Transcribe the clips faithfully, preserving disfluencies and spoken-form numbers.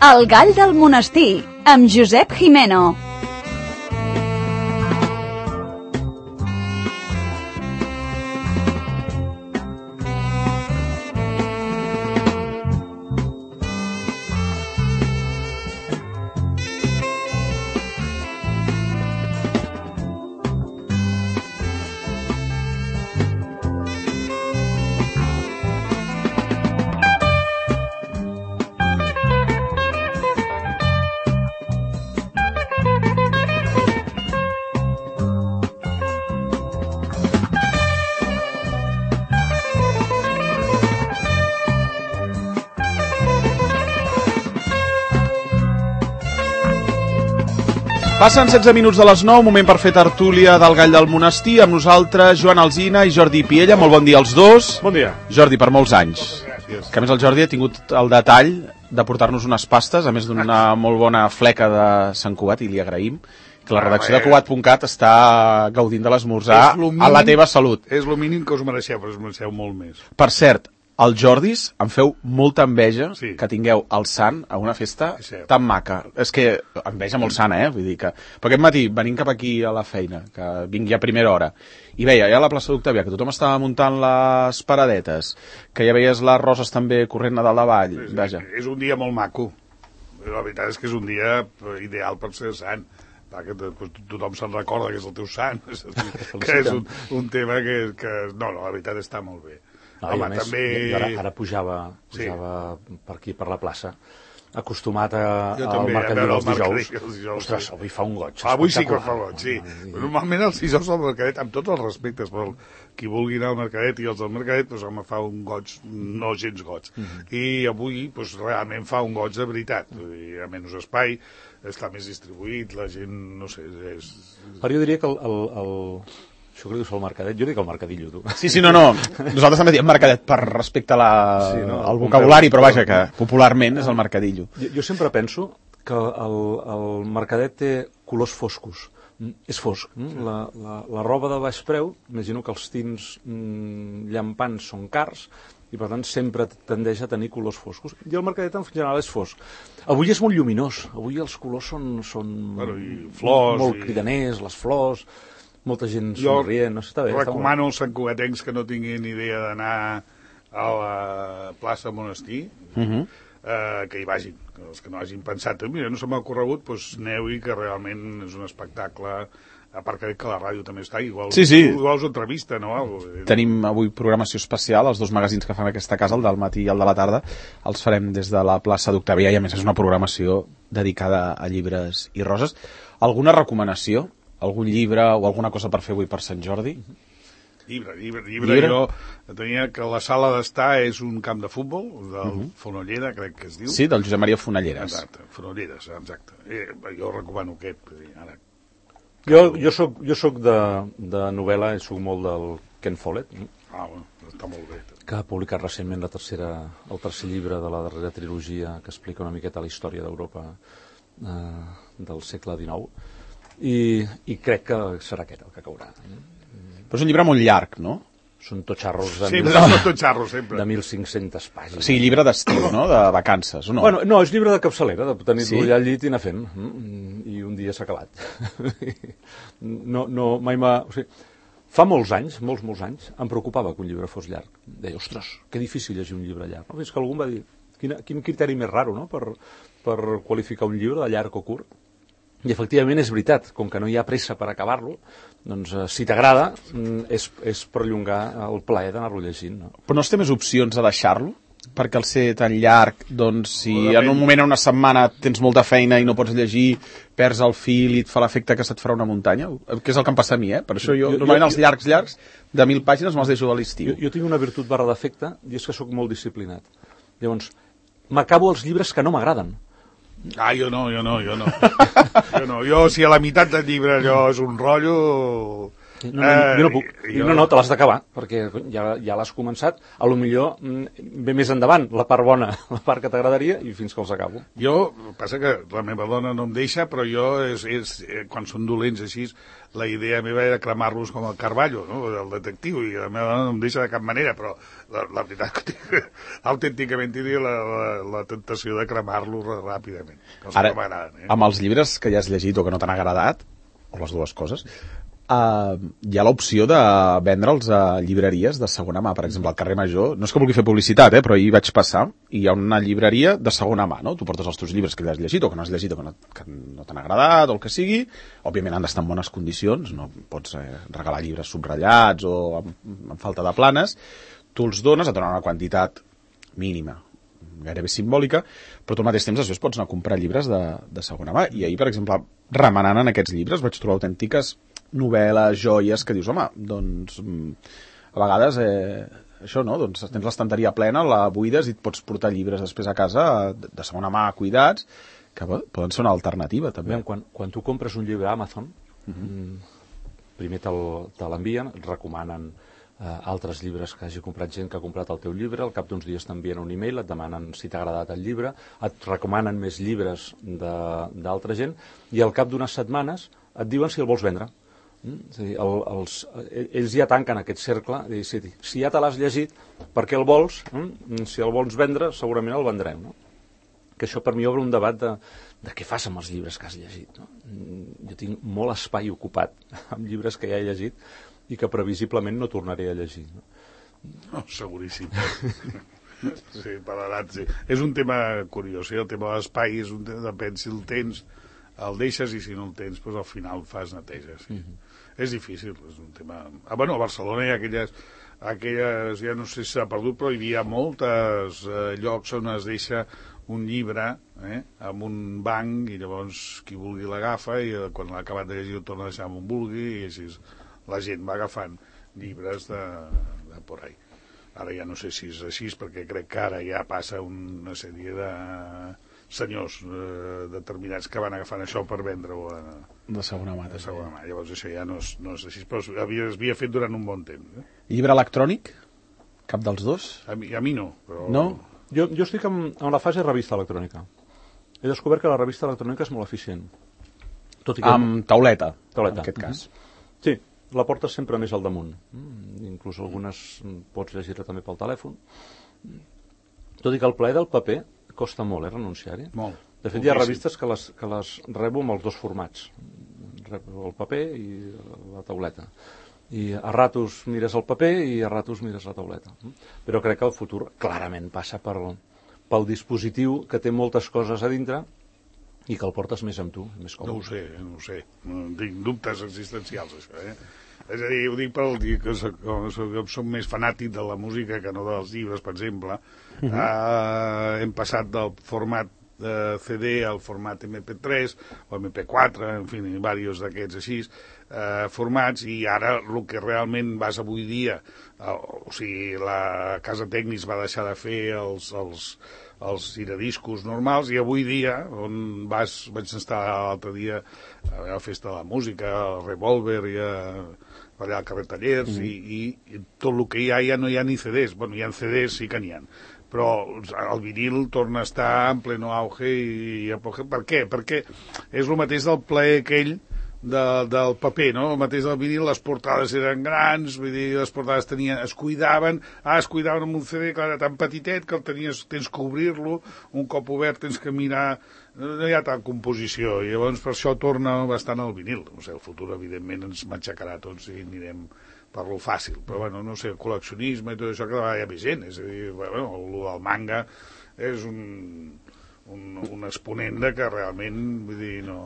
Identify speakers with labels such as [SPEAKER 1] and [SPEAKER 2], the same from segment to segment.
[SPEAKER 1] El gall del monestir, amb Josep Jimeno.
[SPEAKER 2] Passen setze minuts de les nou, moment per fer tertúlia del Gall del Monestir, amb nosaltres Joan Alsina i Jordi Piella. Molt bon dia als dos.
[SPEAKER 3] Bon dia.
[SPEAKER 2] Jordi, per molts anys.
[SPEAKER 3] Gràcies.
[SPEAKER 2] Que a més el Jordi ha tingut el detall de portar-nos unes pastes, a més d'una molt bona fleca de Sant Cugat, i li agraïm, que la redacció de Cugat punt cat està gaudint de l'esmorzar a la teva salut.
[SPEAKER 3] És el mínim que us mereixeu, però us mereixeu molt més.
[SPEAKER 2] Per cert, els Jordis em feu molta enveja
[SPEAKER 3] sí.
[SPEAKER 2] que tingueu el sant a una festa
[SPEAKER 3] sí.
[SPEAKER 2] tan maca. És que enveja molt sana, eh? Vull dir que... Però aquest matí, venint cap aquí a la feina, que vingui a primera hora, i veia ja a la plaça d'Octavià que tothom estava muntant les paradetes, que ja veies les roses també corrent a dalt de vall.
[SPEAKER 3] Sí,
[SPEAKER 2] Vaja.
[SPEAKER 3] És un dia molt maco. La veritat és que és un dia ideal per ser sant. Que tothom se'n recorda que és el teu sant. Que és un, un tema que, que... No, no, la veritat està molt bé.
[SPEAKER 4] No, home, més, també... ara, ara pujava, pujava sí. per aquí, per la plaça, acostumat a, al mercadet dels dijous. dijous. Ostres, sí. Avui fa un goig.
[SPEAKER 3] Ah, avui sí que fa goig, sí. I... Normalment els dijous al mercadet, amb tots els respectes, però qui vulgui anar al mercadet i els del mercadet, doncs, home, fa un goig no gens goig. Uh -huh. I avui, doncs, realment fa un goig de veritat. Hi ha menys espai, està més distribuït, la gent, no sé... És...
[SPEAKER 4] Però jo diria que el... el, el... Això que dius el mercadet, jo dic el mercadillo, tu.
[SPEAKER 2] Sí, sí, no, no. Nosaltres també diem mercadet per respecte a la... sí, no, al vocabulari, però vaja, que popularment és el mercadillo.
[SPEAKER 4] Jo, jo sempre penso que el, el mercadet té colors foscos. És fosc. La, la, la roba de baix preu, imagino que els tints mm, llampants són cars, i per tant sempre tendeix a tenir colors foscos. I el mercadet en general és fosc. Avui és molt lluminós, avui els colors són, són
[SPEAKER 3] bueno, i flors,
[SPEAKER 4] molt
[SPEAKER 3] i...
[SPEAKER 4] cridaners, les flors... molta gent somrient, no sé, està bé.
[SPEAKER 3] Recomano als santcugatencs que no tinguin idea d'anar a la plaça Monestir, uh -huh. eh, que hi vagin, que els que no hagin pensat, mira, no se m'ha corregut, doncs aneu-hi, que realment és un espectacle, a part que la ràdio també està, igual,
[SPEAKER 2] sí, sí.
[SPEAKER 3] igual us entrevista, no? Algo.
[SPEAKER 2] Tenim avui programació especial, els dos magazins que fem aquesta casa, el del matí i el de la tarda, els farem des de la plaça d'Octavià, i a més és una programació dedicada a llibres i roses. Alguna recomanació? Algun llibre o alguna cosa per fer avui per Sant Jordi?
[SPEAKER 3] Llibre, llibre, llibre. llibre? Jo tenia que la sala d'estar és un camp de futbol, del uh -huh. Fonollera, crec que es diu.
[SPEAKER 2] Sí, del Josep Maria Fonolleres.
[SPEAKER 3] Exacte, Fonolleres, exacte. Eh, jo recomano aquest. Ara.
[SPEAKER 4] Jo, jo soc, jo soc de, de novel·la, i soc molt del Ken Follett.
[SPEAKER 3] Ah, bueno, està molt bé.
[SPEAKER 4] Que ha publicat recentment la tercera, el tercer llibre de la darrera trilogia que explica una miqueta la història d'Europa eh, del segle dinou. I, i crec que serà aquest el que caurà.
[SPEAKER 2] Però és un llibre molt llarg, no?
[SPEAKER 4] Són totxarros de,
[SPEAKER 3] sí,
[SPEAKER 4] mil...
[SPEAKER 3] no, totxarros, sempre.
[SPEAKER 4] de mil cinc-centes pàgines.
[SPEAKER 2] O sigui, llibre d'estiu, no? De vacances, o no?
[SPEAKER 4] Bueno, no, és llibre de capçalera, de tenir-lo sí? allà al llit i anar fent. I un dia s'ha acabat. no, no, mai m'ha... O sigui, fa molts anys, molts, molts anys, em preocupava que un llibre fos llarg. Deia, ostres, que difícil llegir un llibre llarg. No? Fins que algú em va dir, quina, quin criteri més raro, no?, per, per qualificar un llibre de llarg o curt. I efectivament és veritat, com que no hi ha pressa per acabar-lo, doncs eh, si t'agrada és, és perllongar el plaer d'anar-lo llegint. No?
[SPEAKER 2] Però no es té més opcions a deixar-lo? Perquè al ser tan llarg, doncs si en un moment, en una setmana, tens molta feina i no pots llegir, perds el fil i et fa l'efecte que se't farà una muntanya, que és el que em passa a mi, eh? Per això jo, jo normalment jo, els llargs, llargs, de mil pàgines me'ls deixo a l'estiu.
[SPEAKER 4] Jo, jo tinc una virtut barra defecte, i és que sóc molt disciplinat. Llavors, m'acabo els llibres que no m'agraden.
[SPEAKER 3] Ah, jo no, jo no, jo no. jo no. Jo, si a la meitat del llibre allò és un rotllo...
[SPEAKER 4] No, no, jo no puc. Jo... No, no, te l'has d'acabar, perquè ja, ja l'has començat. A lo millor ve més endavant, la part bona, la part que t'agradaria, i fins que els acabo.
[SPEAKER 3] Jo, passa que la meva dona no em deixa, però jo, és, és, quan són dolents així, la idea meva era cremar-los com el Carballo, no? El detectiu, i la meva dona no em deixa de cap manera, però la, la veritat que tinc, autènticament tindria la, la, la tentació de cremar-los ràpidament.
[SPEAKER 2] Ara, eh? Amb els llibres que ja has llegit o que no t'han agradat, o les dues coses, Uh, hi ha l'opció de vendre'ls a llibreries de segona mà, per exemple, al carrer Major. No és que vulgui fer publicitat, eh, però hi vaig passar i hi ha una llibreria de segona mà, no? Tu portes els teus llibres que has llegit o que no has llegit o que no, que no t'han agradat o el que sigui. Òbviament han d'estar en bones condicions, no pots eh, regalar llibres subratllats o amb, amb falta de planes. Tu els dones, et donen una quantitat mínima, gairebé simbòlica, però tu al mateix temps després pots anar a comprar llibres de, de segona mà. I ahir, per exemple, remenant en aquests llibres vaig trobar autèntiques novel·les, joies, que dius, home, doncs a vegades eh, això, no? Doncs tens l'estanteria plena, la buides i et pots portar llibres després a casa de, de segona mà cuidats, que poden ser una alternativa també.
[SPEAKER 4] Bé, quan, quan tu compres un llibre a Amazon, uh-huh. primer te l'envien, et recomanen eh, altres llibres que hagi comprat gent que ha comprat el teu llibre, al cap d'uns dies t'envien un e-mail, et demanen si t'ha agradat el llibre, et recomanen més llibres d'altra gent, i al cap d'unes setmanes et diuen si el vols vendre. Mm? És a dir, el, els, ells ja tanquen aquest cercle, dir, si, si ja te l'has llegit, per què el vols? Mm? Si el vols vendre, segurament el vendrem, no? Que això per mi obre un debat de, de què fas amb els llibres que has llegit, no? Jo tinc molt espai ocupat amb llibres que ja he llegit i que previsiblement no tornaré a llegir, no?
[SPEAKER 3] No, seguríssim. Sí, per l'edat, sí. És un tema curiós, sí? El tema de l'espai és un tema, depèn si el tens, el deixes, i si no el tens, doncs al final fas neteja, sí. Uh-huh. És difícil, és un tema... Ah, bueno, a Barcelona hi ha aquelles, aquelles, ja no sé si s'ha perdut, però hi havia moltes eh, llocs on es deixa un llibre eh, amb un banc, i llavors qui vulgui l'agafa, i eh, quan l'ha acabat de llegir el torna a deixar amb un vulgui, i així la gent va agafant llibres de, de por ahí. Ara ja no sé si és així, perquè crec que ara ja passa una sèrie de senyors eh, determinats que van agafant això per vendre-ho a,
[SPEAKER 2] de segona mà.
[SPEAKER 3] De segona mà. Llavors això ja no és, no és així, però havia, havia fet durant un bon temps. Eh?
[SPEAKER 2] Llibre electrònic? Cap dels dos?
[SPEAKER 3] A mi, a mi no. Però...
[SPEAKER 2] No?
[SPEAKER 4] Jo, jo estic en, en la fase revista electrònica. He descobert que la revista electrònica és molt eficient. Tot i que...
[SPEAKER 2] Amb tauleta,
[SPEAKER 4] tauleta,
[SPEAKER 2] en aquest cas.
[SPEAKER 4] Mm-hmm. Sí, la portes sempre més al damunt. Mm, inclús algunes pots llegir-la també pel telèfon. Tot i que el plaer del paper costa molt, eh, renunciar-hi.
[SPEAKER 3] Molt.
[SPEAKER 4] De fet, hi ha revistes que les, que les rebo amb els dos formats. Rebo el paper i la tauleta. I a ratos mires el paper i a ratos mires la tauleta. Però crec que el futur clarament passa per, pel dispositiu que té moltes coses a dintre i que el portes més amb tu, més còmode.
[SPEAKER 3] No ho sé, no ho sé. No, tinc dubtes existencials, això, eh? És a dir, ho dic pel dir que soc, soc més fanàtic de la música que no dels llibres, per exemple. Uh-huh. Uh, hem passat del format de C D al format M P tres o M P quatre, en fi, diversos d'aquests així, uh, formats, i ara el que realment vas avui dia, uh, o sigui, la Casa Tècnics va deixar de fer els... els els giradiscos normals, i avui dia, on vas, vaig estar l'altre dia a la Festa de la Música, al Revolver, i a, allà al carrer Tallers, mm. i, i tot el que hi ha ja no hi ha ni C Ds. Bueno, hi ha C Ds, sí que n'hi ha, però el vinil torna a estar en pleno auge. I, i per què? Perquè és el mateix del plaer aquell de, del paper, no? El mateix del vinil, les portades eren grans, vull dir, les portades tenien, es cuidaven, ah, es cuidaven amb un C D, clar, era tan petitet que el tenies, tens que obrir-lo, un cop obert tens que mirar, no hi ha tal composició, i llavors per això torna bastant al vinil. O sigui, el futur, evidentment, ens matxacarà tots i anirem per lo fàcil, però bueno, no sé, el col·leccionisme i tot això cada vegada hi ha més gent, és a dir, bueno, el del manga és un, un, un exponent de que realment, vull dir, no...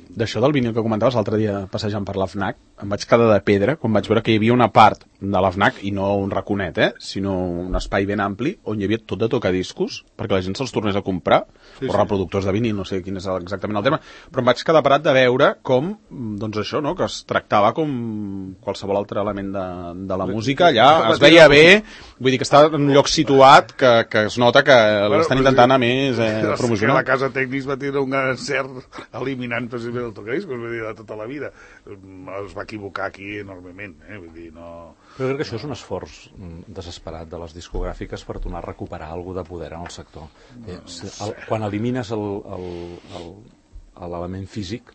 [SPEAKER 2] D'això del vinil que comentaves l'altre dia passejant per la FNAC, em vaig quedar de pedra quan vaig veure que hi havia una part de la FNAC, i no un raconet, eh, sinó un espai ben ampli on hi havia tot de tocadiscos perquè la gent se'ls tornés a comprar, sí, o reproductors sí. de vinil, no sé quin és exactament el terme, però em vaig quedar parat de veure com, doncs això, no?, que es tractava com qualsevol altre element de, de la música, allà es veia bé, vull dir que està en un lloc situat que, que es nota que bueno, l'estan intentant a més eh, promocionar.
[SPEAKER 3] La Casa Tècnics va tenir un gran encert eliminant precisament el tocadiscos, vull dir, de tota la vida. Es va equivocar aquí enormement, eh? Vull dir, no...
[SPEAKER 4] Però crec que això és un esforç desesperat de les discogràfiques per tornar a recuperar alguna de poder en el sector. No, eh, el, quan elimines l'element físic,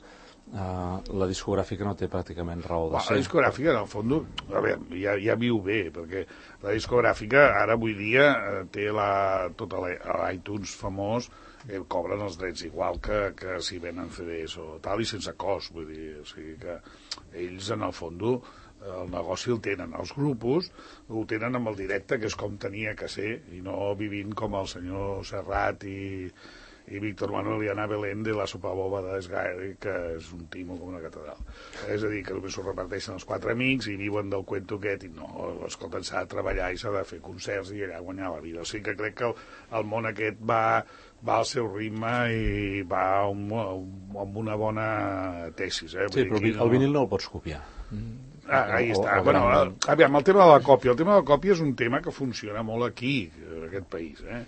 [SPEAKER 4] uh, la discogràfica no té pràcticament raó de
[SPEAKER 3] bueno,
[SPEAKER 4] ser.
[SPEAKER 3] La discogràfica, en el fons, a veure, ja, ja viu bé, perquè la discogràfica ara avui dia té la, tota l'iTunes famós, eh, cobren els drets igual que, que si venen C Ds o tal, i sense cost, vull dir, o sigui que ells, en el fons, el negoci el tenen. Els grupos ho tenen amb el directe, que és com tenia que ser, i no vivint com el senyor Serrat i, i Víctor Manuel i Ana Belén de la sopa boba d'Esgaire, que és un timo com una catedral. És a dir, que només s'ho reparteixen els quatre amics i viuen del cuento aquest, i no, escolta, s'ha de treballar i s'ha de fer concerts i allà guanyar la vida. O sigui que crec que el, el món aquest va, va al seu ritme i va amb, amb una bona tesis. Eh?
[SPEAKER 4] Sí, però el no... vinil no el pots copiar.
[SPEAKER 3] Ah, ahí està. O, bueno, el, aviam, el tema de la còpia. El tema de la còpia és un tema que funciona molt aquí, en aquest país. Eh?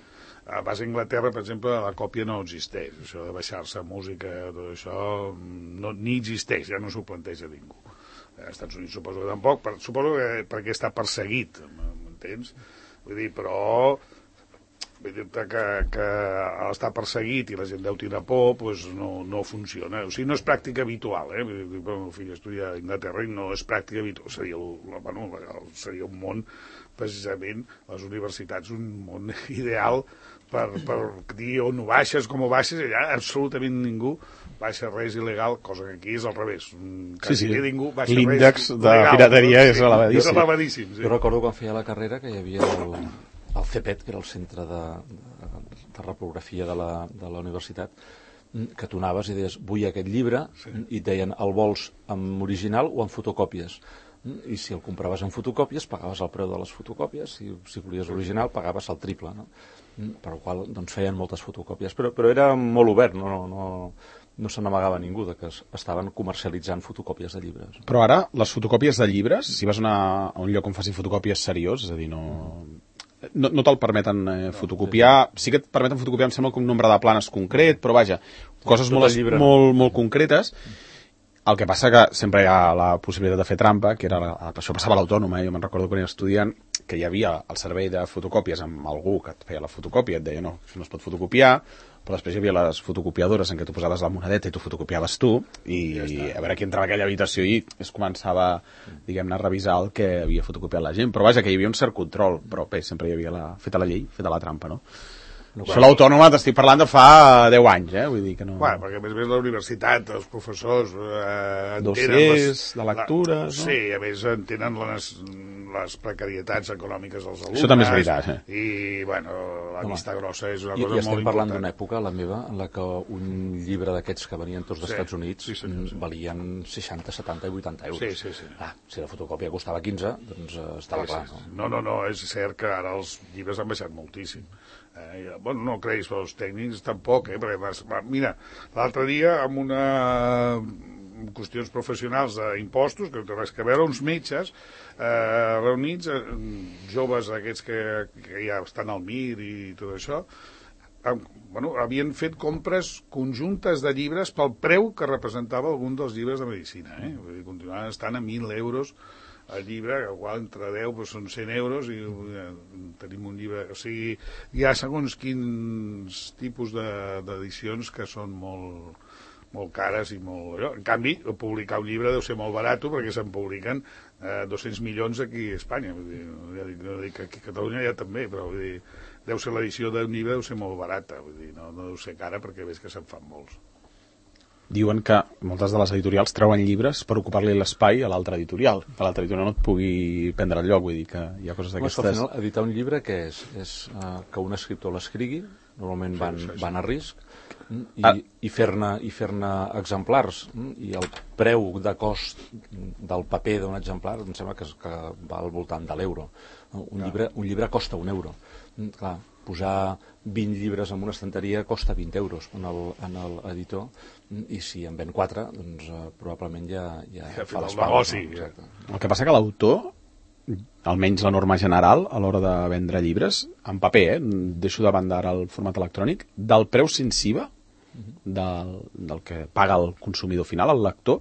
[SPEAKER 3] A base d'Anglaterra, per exemple, la còpia no existeix. Això de baixar-se música, tot això, no, ni existeix, ja no s'ho planteja ningú. Als Estats Units suposo que tampoc, per, suposo que perquè està perseguit, m'entens? Vull dir, però... Vull dir-te que, que està perseguit i la gent deu tenir por, doncs no, no funciona. O sigui, no és pràctica habitual, eh? El meu fill estudia a Anglaterra i no és pràctica habitual. Seria, el, bueno, seria un món, precisament, les universitats, un món ideal per, per dir on ho baixes, com ho baixes, allà absolutament ningú baixa res il·legal, cosa que aquí és al revés.
[SPEAKER 2] Sí, sí,
[SPEAKER 3] ningú
[SPEAKER 2] l'índex de pirateria és elevadíssim.
[SPEAKER 3] És elevadíssim, sí.
[SPEAKER 4] Jo recordo quan feia la carrera que hi havia el... el CEPET, que era el centre de, de, de reprografia de la, de la universitat, que tu anaves i deies, vull aquest llibre, sí. I et deien, el vols en original o en fotocòpies. I si el compraves en fotocòpies, pagaves el preu de les fotocòpies, si, si volies l'original, pagaves el triple, no? Per la qual doncs, feien moltes fotocòpies, però, però era molt obert, no, no, no se n'amagava ningú de que estaven comercialitzant fotocòpies de llibres.
[SPEAKER 2] Però ara, les fotocòpies de llibres, si vas a, una, a un lloc on facin fotocòpies seriós, és a dir, no... No, no te'l permeten eh, fotocopiar, sí que et permeten fotocopiar, em sembla que un nombre de planes concret, però vaja, coses molt, molt, molt concretes. El que passa que sempre hi ha la possibilitat de fer trampa, que era la, això passava a l'Autònoma, eh? Jo me'n recordo quan era estudiant, que hi havia el servei de fotocòpies amb algú que et feia la fotocòpia, et deia no, això no es pot fotocopiar, però després hi havia les fotocopiadores en què tu posaves la monedeta i tu fotocopiaves tu, i, ja i a veure qui entrava a aquella habitació i es començava, diguem-ne, a revisar el que havia fotocopiat la gent. Però vaja, que hi havia un cert control, però bé, sempre hi havia la, feta la llei, feta la trampa, no? No, això l'Autònoma t'estic parlant de fa deu anys, eh? Vull dir que no...
[SPEAKER 3] Bueno, perquè a més a més la universitat, els professors... Eh,
[SPEAKER 2] Dossiers, les, de lectures...
[SPEAKER 3] La, no? Sí, a més entenen les, les precarietats econòmiques dels alumnes...
[SPEAKER 2] Això també és veritat, eh?
[SPEAKER 3] I, bueno, la Home, vista grossa és una
[SPEAKER 4] i,
[SPEAKER 3] cosa molt important.
[SPEAKER 4] I estem parlant d'una època, la meva, en la que un llibre d'aquests que venien tots dels sí, Estats Units
[SPEAKER 3] sí, senyor, sí.
[SPEAKER 4] valien seixanta, setanta i vuitanta euros.
[SPEAKER 3] Sí, sí, sí.
[SPEAKER 4] Ah, si la fotocòpia costava quinze, doncs eh, estava
[SPEAKER 3] sí,
[SPEAKER 4] clar.
[SPEAKER 3] Sí, sí. No, no, no, és cert que ara els llibres han baixat moltíssim. Eh, bueno, no creguis, però els tècnics tampoc, eh? Perquè, vas, va, mira, l'altre dia amb una amb qüestions professionals d'impostos, que no té res que veure, uns metges eh, reunits, eh, joves aquests que, que ja estan al M I R i tot això, eh, bueno, havien fet compres conjuntes de llibres pel preu que representava algun dels llibres de medicina, eh? Vull dir, continuaven estant a mil euros el llibre, que igual entre deu doncs són cent euros i ja, tenim un llibre, o sigui, hi ha segons quins tipus d'edicions que són molt, molt cares i molt... En canvi, publicar un llibre deu ser molt barat perquè se'n publiquen eh, dos-cents milions aquí a Espanya, vull dir, ja dic, no dic que aquí a Catalunya ja també, però vull dir, deu ser l'edició d'un llibre deu ser molt barata, vull dir, no, no deu ser cara perquè veig que se'n fan molts.
[SPEAKER 2] Diuen que moltes de les editorials treuen llibres per ocupar-li l'espai a l'altra editorial, que l'altra editorial no et pugui prendre el lloc, vull dir que hi ha coses d'aquestes...
[SPEAKER 4] Al final, editar un llibre què és? És uh, que un escriptor l'escrigui, normalment van, sí, sí, sí. van a risc, i, ah. i fer-ne i fer-ne exemplars, i el preu de cost del paper d'un exemplar em sembla que, que va al voltant de l'euro. Un, llibre, un llibre costa un euro. Clar, posar vint llibres en una estanteria costa vint euros en l'editor, i si en ven quatre, doncs uh, probablement ja, ja,
[SPEAKER 3] ja
[SPEAKER 4] fa les
[SPEAKER 3] pagues.
[SPEAKER 2] No? El que passa que l'autor, almenys la norma general, a l'hora de vendre llibres, en paper, eh, deixo de banda ara el format electrònic, del preu sensiva, del, del que paga el consumidor final, el lector,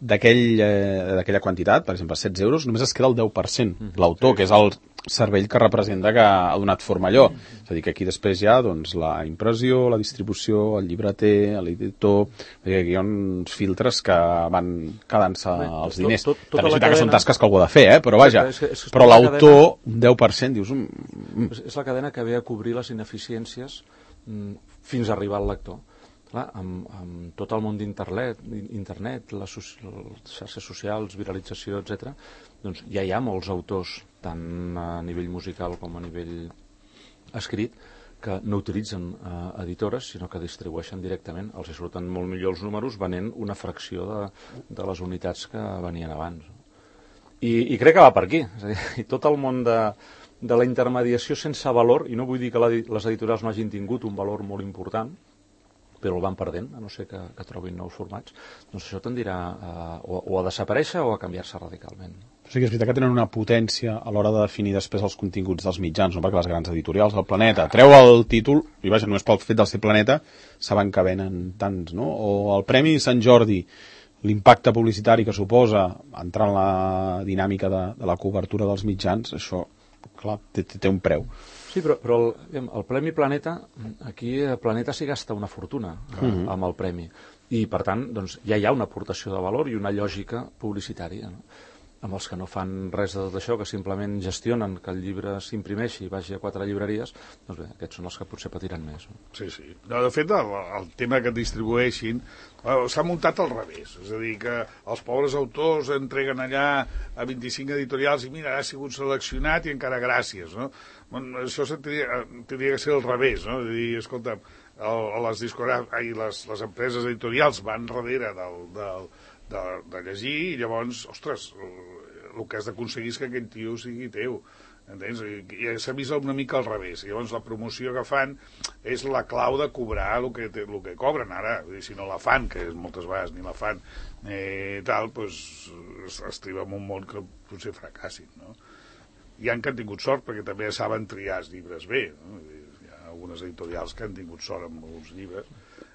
[SPEAKER 2] d'aquell, eh, d'aquella quantitat, per exemple, setze euros, només es queda el deu per cent, l'autor, que és el cervell que representa que ha donat forma a allò. És a dir, que aquí després hi ha doncs, la impressió, la distribució, el llibreter, l'editor... Aquí hi ha uns filtres que van quedant-se els diners. Tot, tot, També és veritat que són tasques que algú ha de fer, eh? Però vaja, és que, és que però l'autor, un deu per cent, dius... Mm.
[SPEAKER 4] És la cadena que ve a cobrir les ineficiències mm, fins a arribar al lector. Clar, amb, amb tot el món d'internet, internet, les, les xarxes socials, viralització, etcètera, doncs ja hi ha molts autors, tant a nivell musical com a nivell escrit, que no utilitzen eh, editores, sinó que distribueixen directament. Els hi surten molt millor els números venent una fracció de, de les unitats que venien abans. I, i crec que va per aquí. És a dir, i tot el món de, de la intermediació sense valor, i no vull dir que la, les editorials no hagin tingut un valor molt important, però el van perdent, a no ser que, que trobin nous formats, doncs això tendirà a, o, o a desaparèixer o a canviar-se radicalment.
[SPEAKER 2] Sí que és veritat que tenen una potència a l'hora de definir després els continguts dels mitjans, no? Perquè les grans editorials, el Planeta, treu el títol, i vaja, només pel fet del ser Planeta, saben que venen tants, no? O el Premi Sant Jordi, l'impacte publicitari que suposa entrar en la dinàmica de, de la cobertura dels mitjans, això, clar, té, té un preu.
[SPEAKER 4] Sí, però, però el, el Premi Planeta, aquí Planeta s'hi gasta una fortuna eh, uh-huh. amb el premi. I, per tant, doncs, ja hi ha una aportació de valor i una lògica publicitària, no? Amb els que no fan res de tot això, que simplement gestionen que el llibre s'imprimeixi i vagi a quatre llibreries, doncs bé, aquests són els que potser patiran més. No?
[SPEAKER 3] Sí, sí. No, de fet, el, el tema que distribueixin s'ha muntat al revés. És a dir, que els pobres autors entreguen allà a vint-i-cinc editorials i mira, ha sigut seleccionat i encara gràcies, no? Bueno, això tindria, tindria que ser al revés, no? És a dir, escolta, el, les, ai, les, les empreses editorials van darrere del, del, de, de llegir i llavors, ostres, el que has d'aconseguir és que aquell tio sigui teu, entens? I, i s'ha vist una mica al revés. I llavors la promoció que fan és la clau de cobrar el que, el que cobren ara. Vull dir, si no la fan, que moltes vegades ni la fan, eh, tal, doncs es, es triba en un món que potser fracassin, no? Hi ha que han tingut sort perquè també saben triar els llibres bé, no? Hi ha algunes editorials que han tingut sort amb alguns llibres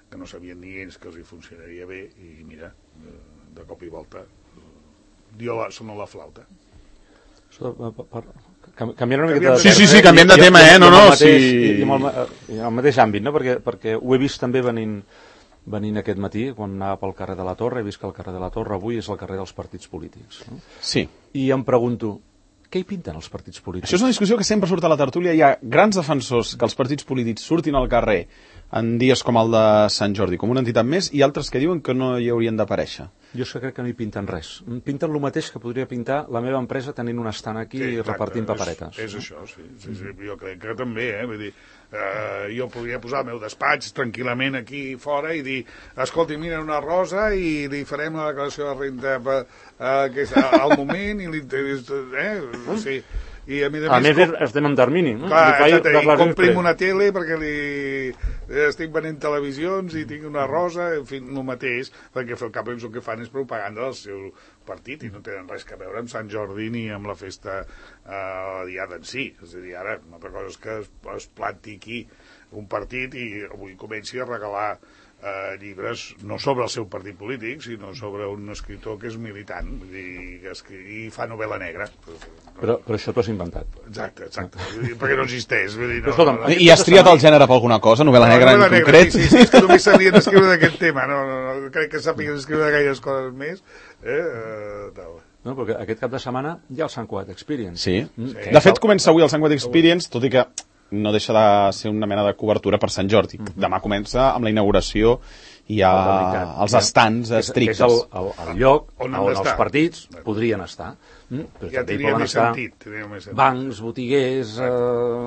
[SPEAKER 3] que no sabien ni ells que els hi funcionaria bé i mira, de cop i volta dio la, sona la flauta.
[SPEAKER 4] Canviant una miqueta de
[SPEAKER 2] sí, sí, sí, canviem de tema, eh? No, no, sí.
[SPEAKER 4] I amb el mateix àmbit, no? Perquè, perquè ho he vist també venint, venint aquest matí, quan anava pel carrer de la Torre, he vist que el carrer de la Torre avui és el carrer dels partits polítics. No?
[SPEAKER 2] Sí.
[SPEAKER 4] I em pregunto, què hi pinten els partits polítics?
[SPEAKER 2] Això és una discussió que sempre surt a la tertúlia. Hi ha grans defensors que els partits polítics surtin al carrer en dies com el de Sant Jordi, com una entitat més, i altres que diuen que no hi haurien d'aparèixer.
[SPEAKER 4] Jo és que crec que no hi pinten res. Pinten el mateix que podria pintar la meva empresa tenint un estant aquí sí, i repartint paperetes.
[SPEAKER 3] És, és això, sí, sí, sí. Jo crec que també, eh? Vull dir, eh, jo podria posar el meu despatx tranquil·lament aquí fora i dir, escolti, mira una rosa i li farem la declaració de renda per, eh, que és al moment i li... Eh? Sí. I a més a més,
[SPEAKER 4] a més estem en termini, no?
[SPEAKER 3] Clar, exacte, i comprim una tele perquè li estic venent televisions i tinc una rosa, en fi, el mateix, perquè al cap el que fan és propaganda del seu partit i no tenen res a veure amb Sant Jordi ni amb la festa eh, diada en si. És a dir, ara, una altra cosa és que es, es planti aquí un partit i avui comenci a regalar eh, llibres no sobre el seu partit polític, sinó sobre un escriptor que és militant, vull dir, que escri... i fa novel·la negra.
[SPEAKER 4] Però, però això t'ho has inventat.
[SPEAKER 3] Exacte, exacte. Dir, perquè no existeix. Vull dir, no,
[SPEAKER 2] escolta,
[SPEAKER 3] no, no,
[SPEAKER 2] I has triat el gènere per alguna cosa? Novel·la negra no, en concret?
[SPEAKER 3] Sí, sí, sí, és que només sabien escriure d'aquest tema. No, no, no, crec que sàpigues escriure gaires coses més. Eh? Uh, tal.
[SPEAKER 4] No, perquè aquest cap de setmana hi ha el Sant Cugat Experience.
[SPEAKER 2] Sí. Mm. sí. De fet, comença avui el Sant Cugat Experience, tot i que no deixa de ser una mena de cobertura per Sant Jordi. Mm-hmm. Demà comença amb la inauguració i ha els estants estrictes.
[SPEAKER 4] Que és el, el, el lloc on, on els partits podrien estar. Mm? Però
[SPEAKER 3] ja tenia més sentit.
[SPEAKER 4] Bancs, botiguers, eh,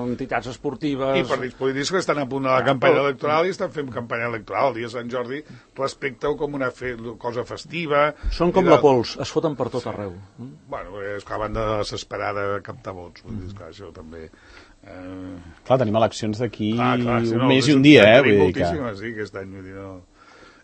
[SPEAKER 4] entitats esportives...
[SPEAKER 3] I partits polítics que estan a punt de la campanya electoral i estan fent campanya electoral. El dia de Sant Jordi respecte-ho com una fe, cosa festiva...
[SPEAKER 4] Són com de... la pols, es foten per tot arreu.
[SPEAKER 3] Mm? Bueno, és que a banda de desesperar de captar vots. Vull dir, que això també...
[SPEAKER 2] Eh... Clar, tenim eleccions d'aquí
[SPEAKER 3] ah, clar, si
[SPEAKER 2] un
[SPEAKER 3] no,
[SPEAKER 2] mes i un dia, eh?
[SPEAKER 3] Vull dir que... Sí, aquest any, vull dir, no...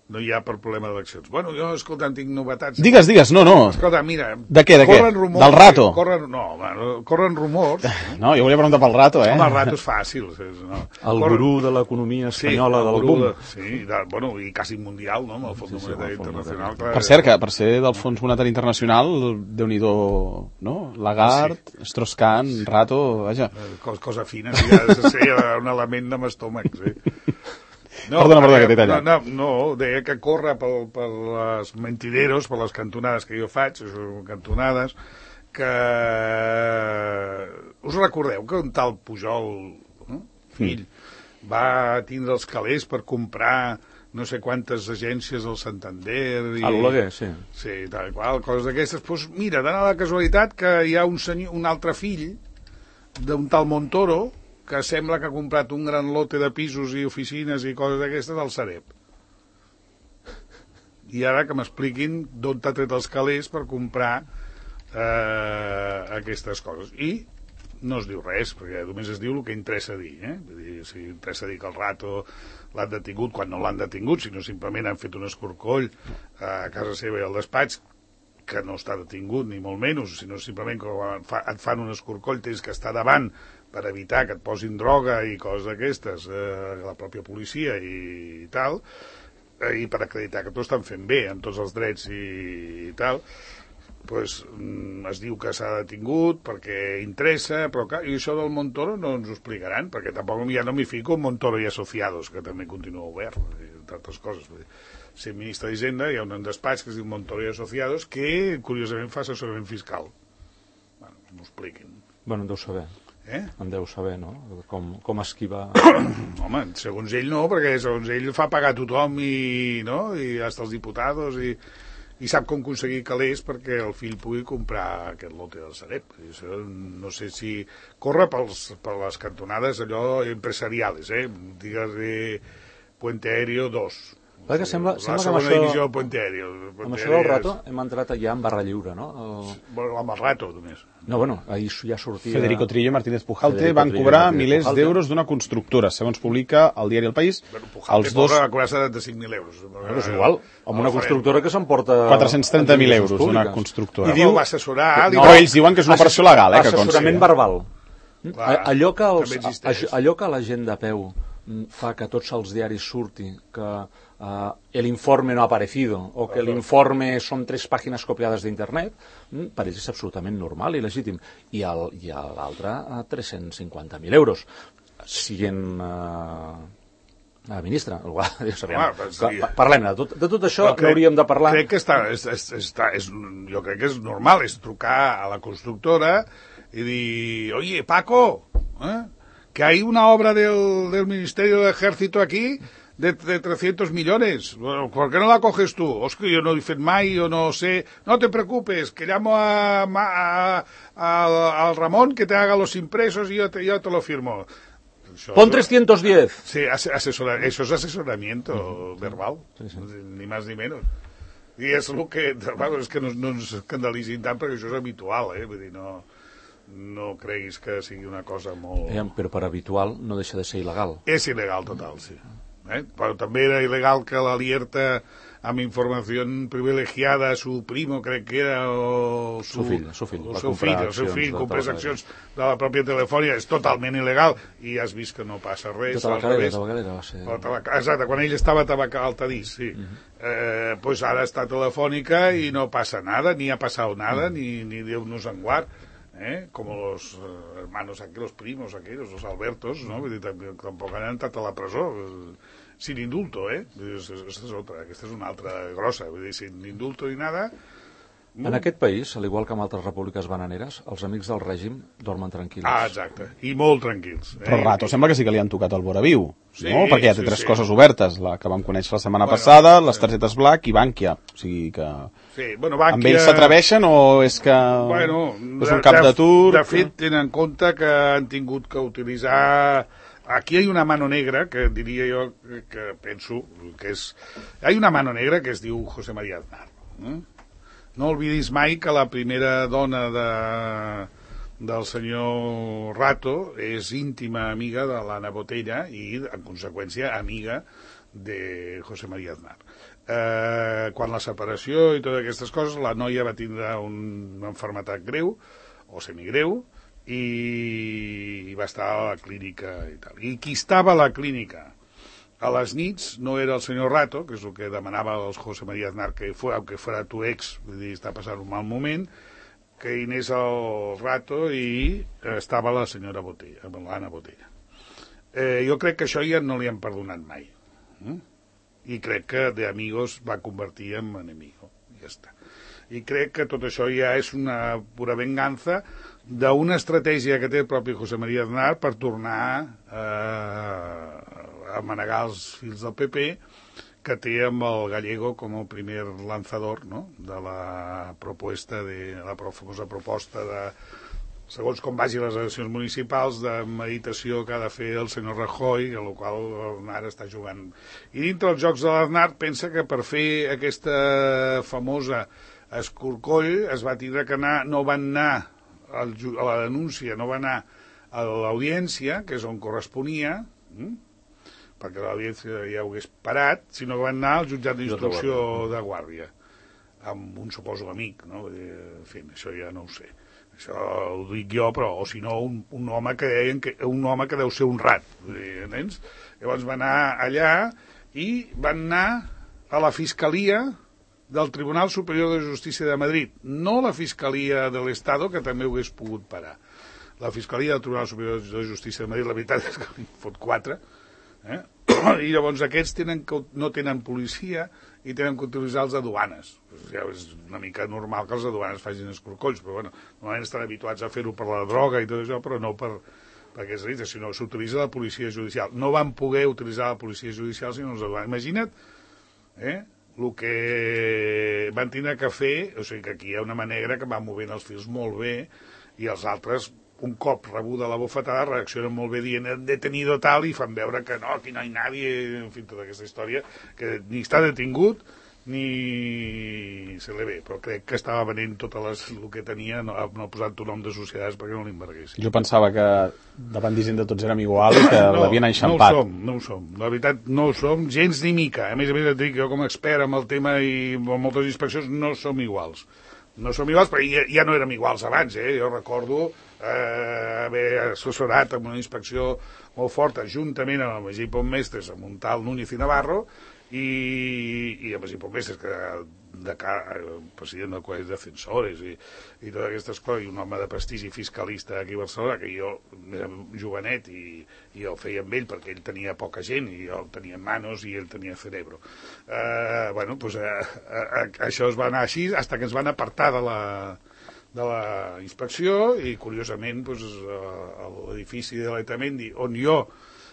[SPEAKER 3] no hi ha per problema d'eleccions. Bueno, jo, escolta, tinc novetats.
[SPEAKER 2] Digues, digues, no, no.
[SPEAKER 3] Escolta, mira...
[SPEAKER 2] De què, de què?
[SPEAKER 3] Rumors,
[SPEAKER 2] Del rato?
[SPEAKER 3] Corren, no, bueno, corren rumors...
[SPEAKER 2] No, jo volia preguntar pel rato, eh?
[SPEAKER 3] Home, el rato és fàcil. És, no.
[SPEAKER 4] El
[SPEAKER 3] corren...
[SPEAKER 4] gurú de l'economia espanyola
[SPEAKER 3] sí,
[SPEAKER 4] del boom.
[SPEAKER 3] De, sí, de, bueno, i quasi mundial, no?, amb el Fons sí, sí, Monetari Internacional. Clar,
[SPEAKER 2] per cert, que per ser del Fons Monetari Internacional, Déu-n'hi-do, no? Lagarde, sí. Strauss-Kahn, rato, vaja.
[SPEAKER 3] Cosa, cosa fina, sí, ha de ser un element de m'estómac, sí. No,
[SPEAKER 2] perdona, perdona, que t'he tallat.
[SPEAKER 3] No, no, no, deia que corre per, per les mentideros, per les cantonades que jo faig, cantonades, que... Us recordeu que un tal Pujol, no? Fill, mm. va tindre els calés per comprar no sé quantes agències del Santander... I...
[SPEAKER 4] A l'Oleguer, sí.
[SPEAKER 3] Sí, tal qual, coses d'aquestes. Doncs pues mira, dona la casualitat que hi ha un, senyor, un altre fill d'un tal Montoro que sembla que ha comprat un gran lote de pisos i oficines i coses d'aquestes al Sareb. I ara que m'expliquin d'on t'ha tret els calés per comprar eh, aquestes coses. I no es diu res, perquè només es diu el que interessa dir. Eh? Vull dir, si interessa dir que el rato l'han detingut quan no l'han detingut, sinó simplement han fet un escorcoll a casa seva i al despatx, que no està detingut, ni molt menys, sinó simplement que et fan un escorcoll, tens que estar davant per evitar que et posin droga i coses d'aquestes, eh, la pròpia policia i, i tal, eh, i per acreditar que t'ho estan fent bé, amb tots els drets i, i tal, pues, mm, es diu que s'ha detingut perquè interessa, però clar, i això del Montoro no ens ho explicaran, perquè tampoc ja no m'hi fico en Montoro i Asociados, que també continua obert, entre altres coses. Si ministre d'Hisenda hi ha un despatx que es diu Montoro i Asociados que, curiosament, fa assessorament fiscal. Bueno, m'ho expliquin.
[SPEAKER 4] Bueno, en deu saber.
[SPEAKER 3] Eh?
[SPEAKER 4] En deu saber, no? Com, com esquivar...
[SPEAKER 3] Home, segons ell no, perquè segons ell fa pagar tothom i, no? I hasta els diputados i, i sap com aconseguir calés perquè el fill pugui comprar aquest lote del Sareb. Això, no sé si corre pels, per les cantonades allò empresariales, eh? Digues-li Puente Aéreo dos.
[SPEAKER 4] Perquè sembla,
[SPEAKER 3] la
[SPEAKER 4] sembla
[SPEAKER 3] segona
[SPEAKER 4] que amb això,
[SPEAKER 3] divisió de Puente Aéreo. Puente
[SPEAKER 4] amb això del rato hem entrat ja en barra lliure, no? El...
[SPEAKER 3] Bueno, amb el rato, només.
[SPEAKER 4] No, bueno, ahir ja sortia...
[SPEAKER 2] Federico Trillo i Martínez Pujalte
[SPEAKER 4] Federico
[SPEAKER 2] van
[SPEAKER 4] Trillo
[SPEAKER 2] cobrar
[SPEAKER 4] Martínez
[SPEAKER 2] milers
[SPEAKER 4] Pujalte.
[SPEAKER 2] d'euros d'una constructora, segons publica el diari El País.
[SPEAKER 3] Bueno, Pujalte
[SPEAKER 2] els dos...
[SPEAKER 3] va cobrar setanta-cinc mil euros.
[SPEAKER 4] Bueno, és igual, amb una constructora que s'emporta...
[SPEAKER 2] quatre-cents trenta mil euros d'una constructora.
[SPEAKER 3] I diu, va assessorar...
[SPEAKER 2] No, no, ells diuen que és una operació legal, eh, que consti.
[SPEAKER 4] Assessorament verbal.
[SPEAKER 3] Clar,
[SPEAKER 4] allò, que els,
[SPEAKER 3] també existeix.
[SPEAKER 4] allò que la gent de peu fa que tots els diaris surti que uh, el informe no ha aparecido o que l'informe són tres pàgines copiades d'internet, per ells és absolutament normal i legítim. I l'altre a tres-cents cinquanta mil euros. Siguent uh, uh, ministre, igual,
[SPEAKER 3] Home, sí.
[SPEAKER 4] Parlem de tot, de tot això, crec, no hauríem de parlar...
[SPEAKER 3] Crec que està, és, és, està, és, jo crec que és normal, és trucar a la constructora i dir, oye, Paco, eh? que hay una obra del, del Ministerio de Ejército aquí de, de trescientos millones. Bueno, ¿por qué no la coges tú? Oscar, yo no he fet mai, yo no sé. No te preocupes, que llamo a, a, a, a Ramón que te haga los impresos y yo te, yo te lo firmo. Això,
[SPEAKER 4] Pon trescientos diez.
[SPEAKER 3] Sí, asesora, eso es asesoramiento uh-huh. verbal, sí, sí. Ni más ni menos. I és el que, bueno, és que no, no ens escandalitzin tant perquè això és habitual, eh? Vull dir, no... no creguis que sigui una cosa molt...
[SPEAKER 4] Eh, però per habitual no deixa de ser il·legal.
[SPEAKER 3] És il·legal total, sí. Eh? Però també era il·legal que l'Alierta amb informació privilegiada a su primo, crec que era, o su,
[SPEAKER 4] su fill, su fill,
[SPEAKER 3] o seu fill, el seu fill, comprés accions de la pròpia Telefònica, és totalment il·legal, i has vist que no passa res.
[SPEAKER 4] De Tabacalera, Tabacalera va ser...
[SPEAKER 3] Exacte, quan ell estava a Altadís, sí. Uh -huh. eh, pues ara està Telefònica i no passa nada, ni ha passat nada, uh -huh. ni, ni Déu-nos en guard. ¿Eh? Como los uh, hermanos aquí, los primos aquellos, los Albertos, ¿no? Tampoc han entrat a la presó sin indulto, eh? Aquesta és otra, aquesta és una altra grossa, vull dir, sin indulto ni nada.
[SPEAKER 4] En aquest país, al igual que en altres repúbliques bananeres, els amics del règim dormen tranquils.
[SPEAKER 3] Ah, exacte, i molt tranquils. Eh?
[SPEAKER 2] Però Rato sembla que sí que li han tocat el vora viu,
[SPEAKER 3] sí,
[SPEAKER 2] no? Perquè ja té
[SPEAKER 3] sí,
[SPEAKER 2] tres
[SPEAKER 3] sí.
[SPEAKER 2] coses obertes, la que vam conèixer la setmana
[SPEAKER 3] bueno,
[SPEAKER 2] passada, les targetes Black i Bankia. O sigui que...
[SPEAKER 3] Sí, bueno, Bankia...
[SPEAKER 2] Amb ells s'atreveixen o és que
[SPEAKER 3] bueno,
[SPEAKER 2] és un cap de tur?
[SPEAKER 3] De fet, tenen en compte que han tingut que utilitzar... Aquí hi ha una mano negra, que diria jo, que penso, que és... Hi ha una mano negra que es diu José María Aznar. Eh? No oblidis mai que la primera dona de, del senyor Rato és íntima amiga de l'Anna Botella i, en conseqüència, amiga de José María Aznar. Eh, quan la separació i totes aquestes coses, la noia va tindre una malaltia greu, o semigreu, i va estar a la clínica i tal. I qui estava a la clínica a les nits no era el senyor Rato, que és el que demanava el José María Aznar, que fue, aunque fuera tu ex, vull dir, està passant un mal moment, que hi anés el Rato i estava la senyora Botella, l'Anna Botella. Eh, jo crec que això ja no li han perdonat mai. Mm? I crec que de amigos va convertir en enemigo. Ja està. I crec que tot això ja és una pura venganza d'una estratègia que té el propi José María Aznar per tornar eh, a manegar els fils del P P, que té amb el Gallego com el primer lanzador, no?, de la proposta de la famosa proposta de, segons com vagi les eleccions municipals, de meditació que ha de fer el senyor Rajoy, a la qual l'Aznar està jugant. I dintre dels jocs de l'Aznar pensa que per fer aquesta famosa escorcoll es va tindre que anar, no van anar al, a la denúncia, no va anar a l'audiència, que és on corresponia, hm? perquè l'audiència ja ho hagués parat, sinó que van anar al jutjat d'instrucció de Guàrdia, amb un suposo amic, no? En fi, això ja no ho sé. Això ho dic jo, però, o si no, un, un home que deien que, un home que deu ser un rat, entens? Llavors van anar allà i van anar a la Fiscalia del Tribunal Superior de Justícia de Madrid, no la Fiscalia de l'Estado, que també ho hagués pogut parar. La Fiscalia del Tribunal Superior de Justícia de Madrid, la veritat és que li fot quatre, eh? I llavors aquests tenen que, no tenen policia i tenen que utilitzar els aduanes. Ja és una mica normal que els aduanes facin escorcolls, però bueno, normalment estan habituats a fer-ho per la droga i tot això, però no per, per aquests delites, sinó s'utilitza la policia judicial. No van poder utilitzar la policia judicial sinó els aduanes. Imagina't eh, el que van tindre que fer, o sigui que aquí hi ha una manera que va movent els fils molt bé i els altres, un cop rebuda la bofetada, reaccionen molt bé dient hem detenido tal i fan veure que no, aquí no hi ha nadie, en fi, tota aquesta història, que ni està detingut ni se li ve, però crec que estava venent tot les, el que tenia, no, no ha posat un nom de societats perquè no l'embarguessin.
[SPEAKER 2] Jo pensava que davant d'Hisenda tots érem igual i que no, l'havien enxampat.
[SPEAKER 3] No ho som, no ho som. La veritat, no ho som gens ni mica. A més a més, et dic, jo com a expert amb el tema i amb moltes inspeccions no som iguals. No som iguals, però ja, ja no érem iguals abans, eh? Jo recordo eh, haver assessorat amb una inspecció molt forta, juntament amb el Magí Pontmestres, amb un tal Núñez i Navarro, i, i amb Magí Pontmestres, que de cara, president del Col·legi de Censores i, i totes aquestes coses, i un home de prestigi fiscalista aquí a Barcelona, que jo era jovenet i, i el feia amb ell perquè ell tenia poca gent i jo tenia manos i ell tenia cerebro. Eh, bueno, doncs eh, eh, això es va anar així fins que ens van apartar de la, de la inspecció i, curiosament, doncs, l'edifici de l'Etamendi, on jo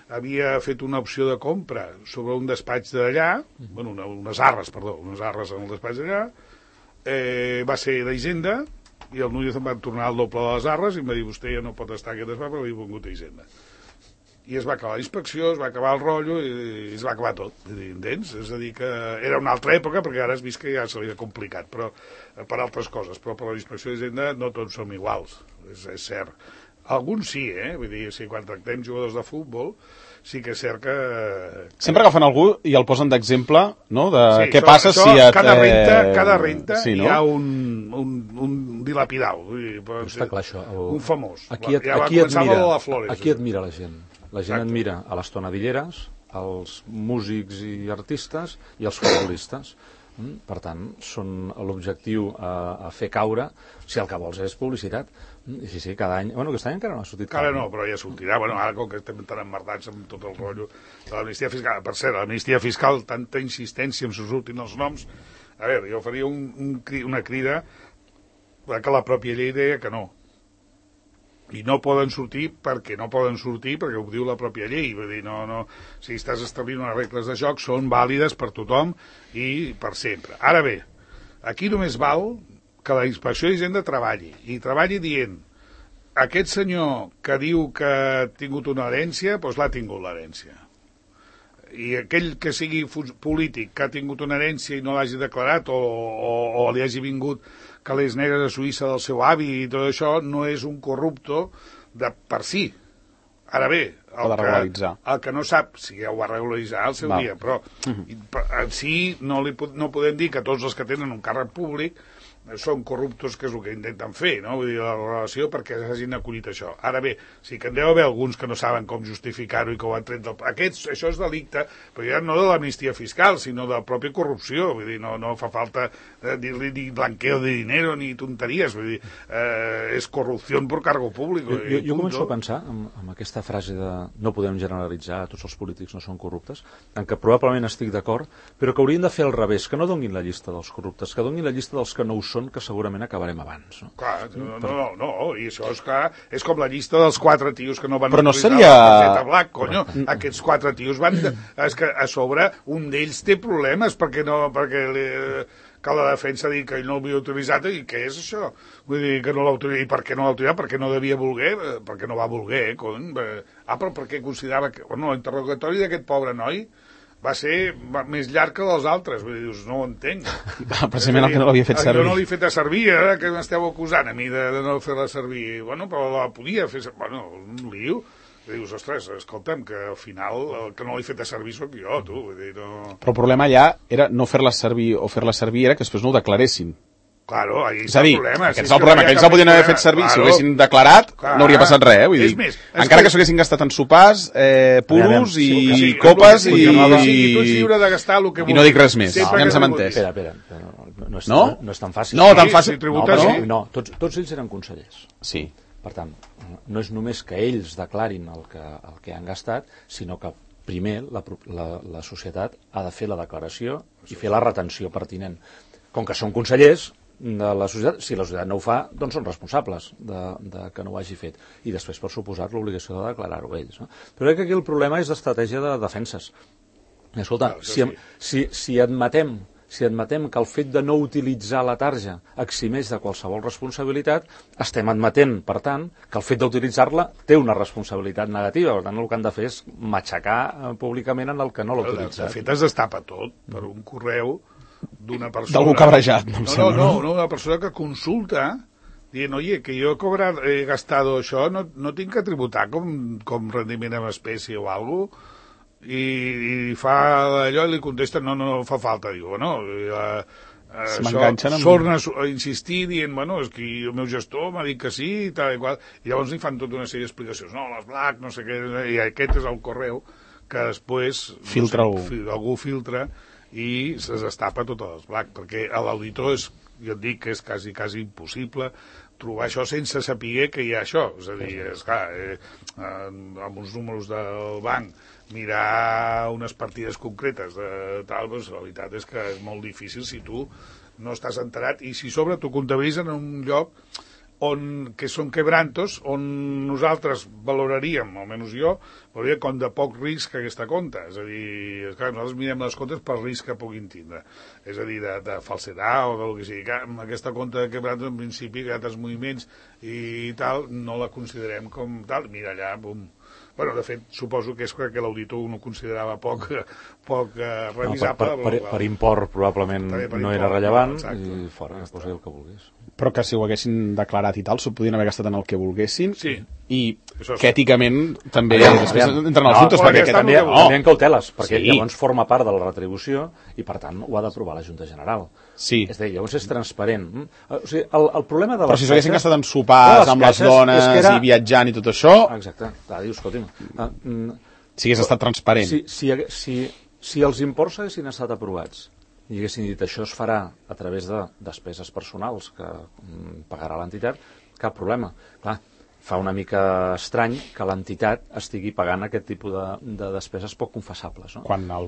[SPEAKER 3] havia fet una opció de compra sobre un despatx d'allà, bueno, una, unes arres, perdó, unes arres en el despatx d'allà, eh, va ser d'Hisenda, i el Núñez em va tornar el doble de les arres i em va dir, vostè ja no pot estar aquest despatx perquè he vingut a Hisenda. I es va acabar la inspecció, es va acabar el rotllo i, i es va acabar tot, entens? És a dir, que era una altra època, perquè ara has vist que ja se li ha complicat, però per altres coses, però per la inspecció d'Hisenda no tots som iguals, és, és cert. Alguns sí, eh? Vull dir, si quan tractem jugadors de futbol, sí que és cert que...
[SPEAKER 2] Sempre agafen algú i el posen d'exemple, no?, de
[SPEAKER 3] sí,
[SPEAKER 2] què
[SPEAKER 3] això,
[SPEAKER 2] passa
[SPEAKER 3] això,
[SPEAKER 2] si et...
[SPEAKER 3] Cada renta, cada renta
[SPEAKER 2] sí, no?
[SPEAKER 3] hi ha un, un, un dilapidau. Vull dir, però,
[SPEAKER 4] està clar, això. El...
[SPEAKER 3] Un famós.
[SPEAKER 4] Aquí, et,
[SPEAKER 3] ja
[SPEAKER 4] aquí, admira,
[SPEAKER 3] la Flores,
[SPEAKER 4] aquí admira la gent. La gent
[SPEAKER 3] Exacte.
[SPEAKER 4] admira a les tonadilleres, als músics i artistes i als futbolistes. Per tant, són l'objectiu a, a fer caure si el que vols és publicitat. I sí, sí, cada any... Bueno, aquest any encara no ha sortit.
[SPEAKER 3] Encara no, però ja sortirà. Bueno, ara com que estem tan emmerdats amb tot el rotllo de l'amnistia fiscal. Per cert, l'amnistia fiscal, tanta insistència en surtin els noms. A veure, jo faria un, un, una crida que la pròpia llei deia que no. I no poden sortir perquè no poden sortir, perquè ho diu la pròpia llei. Vull dir, no, no, si estàs establint unes regles de joc, són vàlides per tothom i per sempre. Ara bé, aquí només val que la inspecció d'Hisenda treballi, i treballi dient aquest senyor que diu que ha tingut una herència, doncs l'ha tingut l'herència. I aquell que sigui polític que ha tingut una herència i no l'hagi declarat o, o, o li hagi vingut calés negres a Suïssa del seu avi i tot això, no és un corrupto de per si. Ara bé,
[SPEAKER 2] el de regularitzar.
[SPEAKER 3] Que, el que no sap, si ja ho va regularitzar al seu
[SPEAKER 2] Val.
[SPEAKER 3] dia, però en si no, li, no podem dir que tots els que tenen un càrrec públic són corruptos, que és el que intenten fer, no? Vull dir, la relació perquè s'hagin acollit això. Ara bé, sí que en deu haver alguns que no saben com justificar-ho i que ho han tret del... Aquests, això és delicte, però ja no de l'amnistia fiscal, sinó de la pròpia corrupció. Vull dir, no, no fa falta eh, dir-li ni blanqueo de dinero ni tonteries. Vull dir, eh, és corrupció per cargo públic.
[SPEAKER 4] Jo, jo, jo començo a pensar, amb, amb aquesta frase de no podem generalitzar, tots els polítics no són corruptes, en què probablement estic d'acord, però que haurien de fer al revés, que no donin la llista dels corruptes, que donin la llista dels que no ho són, que segurament acabarem abans. No?
[SPEAKER 3] Clar, no, no, no, i això és clar, és com la llista dels quatre tios que no van
[SPEAKER 2] Però no
[SPEAKER 3] utilitzar
[SPEAKER 2] seria...
[SPEAKER 3] la targeta Black, conyo. Aquests quatre tios van... De... És que a sobre un d'ells té problemes perquè no... perquè li... que la defensa ha dit que ell no l'havia utilitzat, i què és això? Vull dir, que no l'ha utilitzat, i per què no l'ha utilitzat? Perquè no devia voler, perquè no va voler, cony. Ah, però perquè considerava que... Bueno, l'interrogatori d'aquest pobre noi va ser més llarg que dels altres, vull dir, no ho entenc.
[SPEAKER 2] Precisament el que no l'havia fet servir.
[SPEAKER 3] Jo no l'he fet a servir, eh, que m'esteu acusant a mi de, de no fer-la servir. Bueno, però la podia fer servir. Bueno, un lío. Dius, ostres, escolta'm, que al final el que no l'he fet a servir sóc jo, tu. Vull dir, no...
[SPEAKER 2] Però el problema allà era no fer-la servir o fer-la servir, era que després no ho declaressin.
[SPEAKER 3] Claro, ahí
[SPEAKER 2] és a dir,
[SPEAKER 3] el problema.
[SPEAKER 2] aquest és el problema, que ells el podien haver fet servir, claro. Si ho haguessin declarat, claro. No hauria passat res, eh? Vull dir,
[SPEAKER 3] més,
[SPEAKER 2] encara que s'ho haguessin gastat en sopars, eh, puros i sí, sí, copes i...
[SPEAKER 3] I tu ets lliure de gastar el que
[SPEAKER 2] I no dic res més,
[SPEAKER 3] no,
[SPEAKER 2] ja ens hem entès.
[SPEAKER 4] Espera, espera, no, no, és,
[SPEAKER 2] no?
[SPEAKER 4] no, no és tan fàcil.
[SPEAKER 2] No, tan fàcil.
[SPEAKER 3] Si tributa,
[SPEAKER 4] no,
[SPEAKER 3] sí.
[SPEAKER 4] no, tots, tots ells eren consellers.
[SPEAKER 2] Sí.
[SPEAKER 4] Per tant, no és només que ells declarin el que, el que han gastat, sinó que primer la, la, la societat ha de fer la declaració i fer la retenció pertinent. Com que són consellers de la societat, si la societat no ho fa, doncs són responsables de, de que no ho hagi fet. I després, per suposat, l'obligació de declarar-ho ells. No? Però crec que aquí el problema és d'estratègia de defenses. I, escolta, no, si, si, si admetem si admetem que el fet de no utilitzar la tarja eximeix de qualsevol responsabilitat, estem admetent, per tant, que el fet d'utilitzar-la té una responsabilitat negativa. Per tant, el que han de fer és matxacar públicament en el que no l'ha utilitzat.
[SPEAKER 3] De fet, es destapa tot per un correu d'una persona...
[SPEAKER 2] D'algú cabrejat, no em
[SPEAKER 3] no,
[SPEAKER 2] sembla.
[SPEAKER 3] No, no, no, una persona que consulta dient, oye, que jo he, cobrat, he gastado això, no, no tinc que tributar com, com rendiment en espècie o alguna cosa, i, i fa allò i li contesta, no, no, no fa falta, diu, no, i, uh,
[SPEAKER 2] Se
[SPEAKER 3] això,
[SPEAKER 2] m'enganxen amb...
[SPEAKER 3] torna a insistir dient, bueno, és que el meu gestor m'ha dit que sí, i tal i qual, i llavors li fan tota una sèrie d'explicacions, no, les Black, no sé què, i aquest és el correu que després
[SPEAKER 2] filtra
[SPEAKER 3] no sé, algú filtra i se destapa totes les Black, perquè a l'auditor és, jo et dic que és quasi, quasi impossible trobar això sense saber que hi ha això, és a dir, és clar, eh, amb uns números del banc mirar unes partides concretes de tal, doncs la veritat és que és molt difícil si tu no estàs enterat i si sobre tu comptabilitzes en un lloc on, que són quebrantos, on nosaltres valoraríem, almenys jo, valoraria com de poc risc aquesta compta. És a dir, esclar, nosaltres mirem les comptes pel risc que puguin tindre. És a dir, de, de falsedat o del que sigui. Que amb aquesta compta de quebrantos, en principi, que altres moviments i tal, no la considerem com tal. Mira allà, bum. Bueno, de fet, suposo que és que l'auditor no considerava poc, poc uh, revisable.
[SPEAKER 4] No, per, per, per import probablement per
[SPEAKER 3] per
[SPEAKER 4] no
[SPEAKER 3] import,
[SPEAKER 4] era rellevant
[SPEAKER 3] no,
[SPEAKER 4] i fora, ja posi el que volgués.
[SPEAKER 2] Però que si ho haguessin declarat i tal, s'ho podien haver gastat en el que volguessin.
[SPEAKER 3] Sí.
[SPEAKER 2] I
[SPEAKER 3] Això
[SPEAKER 2] que èticament també
[SPEAKER 4] Aviam,
[SPEAKER 2] després
[SPEAKER 4] aviam.
[SPEAKER 2] entren els
[SPEAKER 4] No,
[SPEAKER 2] dubtes,
[SPEAKER 3] però
[SPEAKER 2] perquè
[SPEAKER 3] aquesta
[SPEAKER 2] aquest...
[SPEAKER 4] També,
[SPEAKER 3] no,
[SPEAKER 4] també en cauteles, perquè
[SPEAKER 2] Sí.
[SPEAKER 4] llavors forma part de la retribució i, per tant, ho ha d'aprovar la Junta General.
[SPEAKER 2] Sí.
[SPEAKER 4] És a dir, llavors és transparent. Mm? O sigui, el, el problema de les
[SPEAKER 2] Però si s'haguessin
[SPEAKER 4] caixes-
[SPEAKER 2] gastat en sopars,
[SPEAKER 4] les
[SPEAKER 2] amb les
[SPEAKER 4] caixes
[SPEAKER 2] dones
[SPEAKER 4] és que era-
[SPEAKER 2] i viatjant i tot això,
[SPEAKER 4] Exacte. Clar, dius, escolti'm, ah, mm,
[SPEAKER 2] si hagués estat transparent.
[SPEAKER 4] si, si, hagué- si, si els imports haguessin estat aprovats i haguessin dit això es farà a través de despeses personals que mm, pagarà l'entitat, cap problema. Clar, fa una mica estrany que l'entitat estigui pagant aquest tipus de, de despeses poc confessables. No?
[SPEAKER 2] Quan el,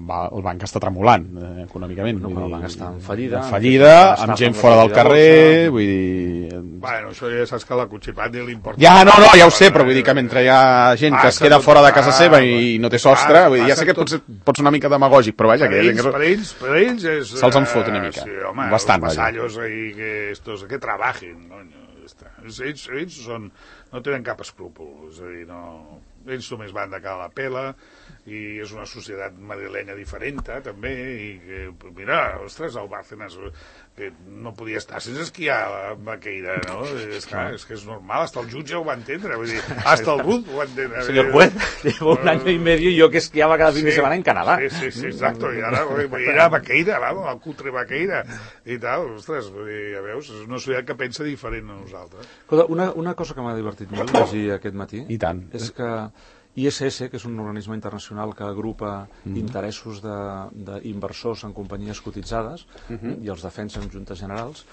[SPEAKER 2] va, el banc està tremolant eh, econòmicament.
[SPEAKER 4] No,
[SPEAKER 2] vull
[SPEAKER 4] quan el
[SPEAKER 2] dir,
[SPEAKER 4] banc està en fallida,
[SPEAKER 2] en fallida,
[SPEAKER 4] està
[SPEAKER 2] amb gent
[SPEAKER 4] fent
[SPEAKER 2] fora del
[SPEAKER 4] recollida
[SPEAKER 2] carrer,
[SPEAKER 4] bolsa.
[SPEAKER 2] vull dir...
[SPEAKER 3] Bueno, això ja saps que la Cuchipat ni li importa.
[SPEAKER 2] Ja, no, no, ja ho sé, però vull dir que mentre hi ha gent que es queda fora de casa seva i no té sostre, vull dir, ja sé que pot ser, pot ser una mica demagògic, però vaja,
[SPEAKER 3] Per
[SPEAKER 2] que...
[SPEAKER 3] ells, per ells, per ells és...
[SPEAKER 2] Se'ls en fot una mica.
[SPEAKER 3] Sí, home,
[SPEAKER 2] Bastant,
[SPEAKER 3] els
[SPEAKER 2] vaja.
[SPEAKER 3] vasallos ahí que estos, que trabajen, no? Ells, ells són, no tenen cap escrúpol, és a dir, no, ells només van de cara a la pela i és una societat madrilenya diferent, també, i que, mira, ostres, el Bárcenas que no podia estar sense esquiar a Baqueira, no? És, clar, és que és normal, hasta el jutge ho va entendre, vull dir, hasta el Ruth ho va entendre.
[SPEAKER 4] Señor juez, llevo un año y medio y yo que esquiaba cada fin sí, de semana en Canadá.
[SPEAKER 3] Sí, sí, sí, exacto, i ara ir a Baqueira, vamos, al cutre Baqueira, i tal, ostres, vull dir, ja veus, és una societat que pensa diferent a nosaltres.
[SPEAKER 4] Una, una cosa que m'ha divertit molt llegir aquest matí
[SPEAKER 2] I tant.
[SPEAKER 4] és que I S S, que és un organisme internacional que agrupa mm-hmm. interessos d'inversors en companyies cotitzades mm-hmm. i els defensa en juntes generals,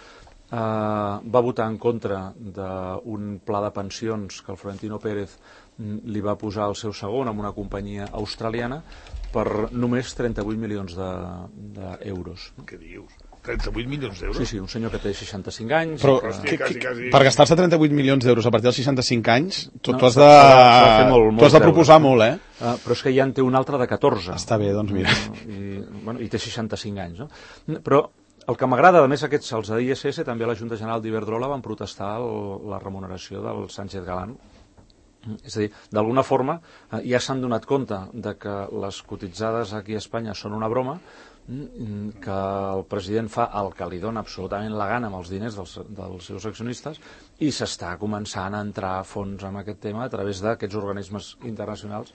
[SPEAKER 4] eh, va votar en contra d'un pla de pensions que el Florentino Pérez li va posar al seu segon amb una companyia australiana per només trenta-vuit milions d'euros.
[SPEAKER 3] De, Què dius? trenta-vuit milions d'euros?
[SPEAKER 4] Sí, sí, un senyor que té seixanta-cinc anys.
[SPEAKER 2] Però
[SPEAKER 4] que...
[SPEAKER 2] Hòstia, quasi, quasi... per gastar-se trenta-vuit milions d'euros a partir dels seixanta-cinc anys, tu,
[SPEAKER 4] no,
[SPEAKER 2] tu has de,
[SPEAKER 4] molt, molt
[SPEAKER 2] tu has de proposar molt, eh?
[SPEAKER 4] Uh, però és que ja en té un altre de catorze.
[SPEAKER 2] Està bé, doncs mira.
[SPEAKER 4] I, bueno, i té seixanta-cinc anys, no? Però el que m'agrada, a més, aquests, els de I S S, també a la Junta General d'Iberdrola van protestar el, la remuneració del Sánchez Galán. És a dir, d'alguna forma, eh, ja s'han donat compte de que les cotitzades aquí a Espanya són una broma, que el president fa el que li dona absolutament la gana amb els diners dels, dels seus accionistes i s'està començant a entrar a fons en aquest tema a través d'aquests organismes internacionals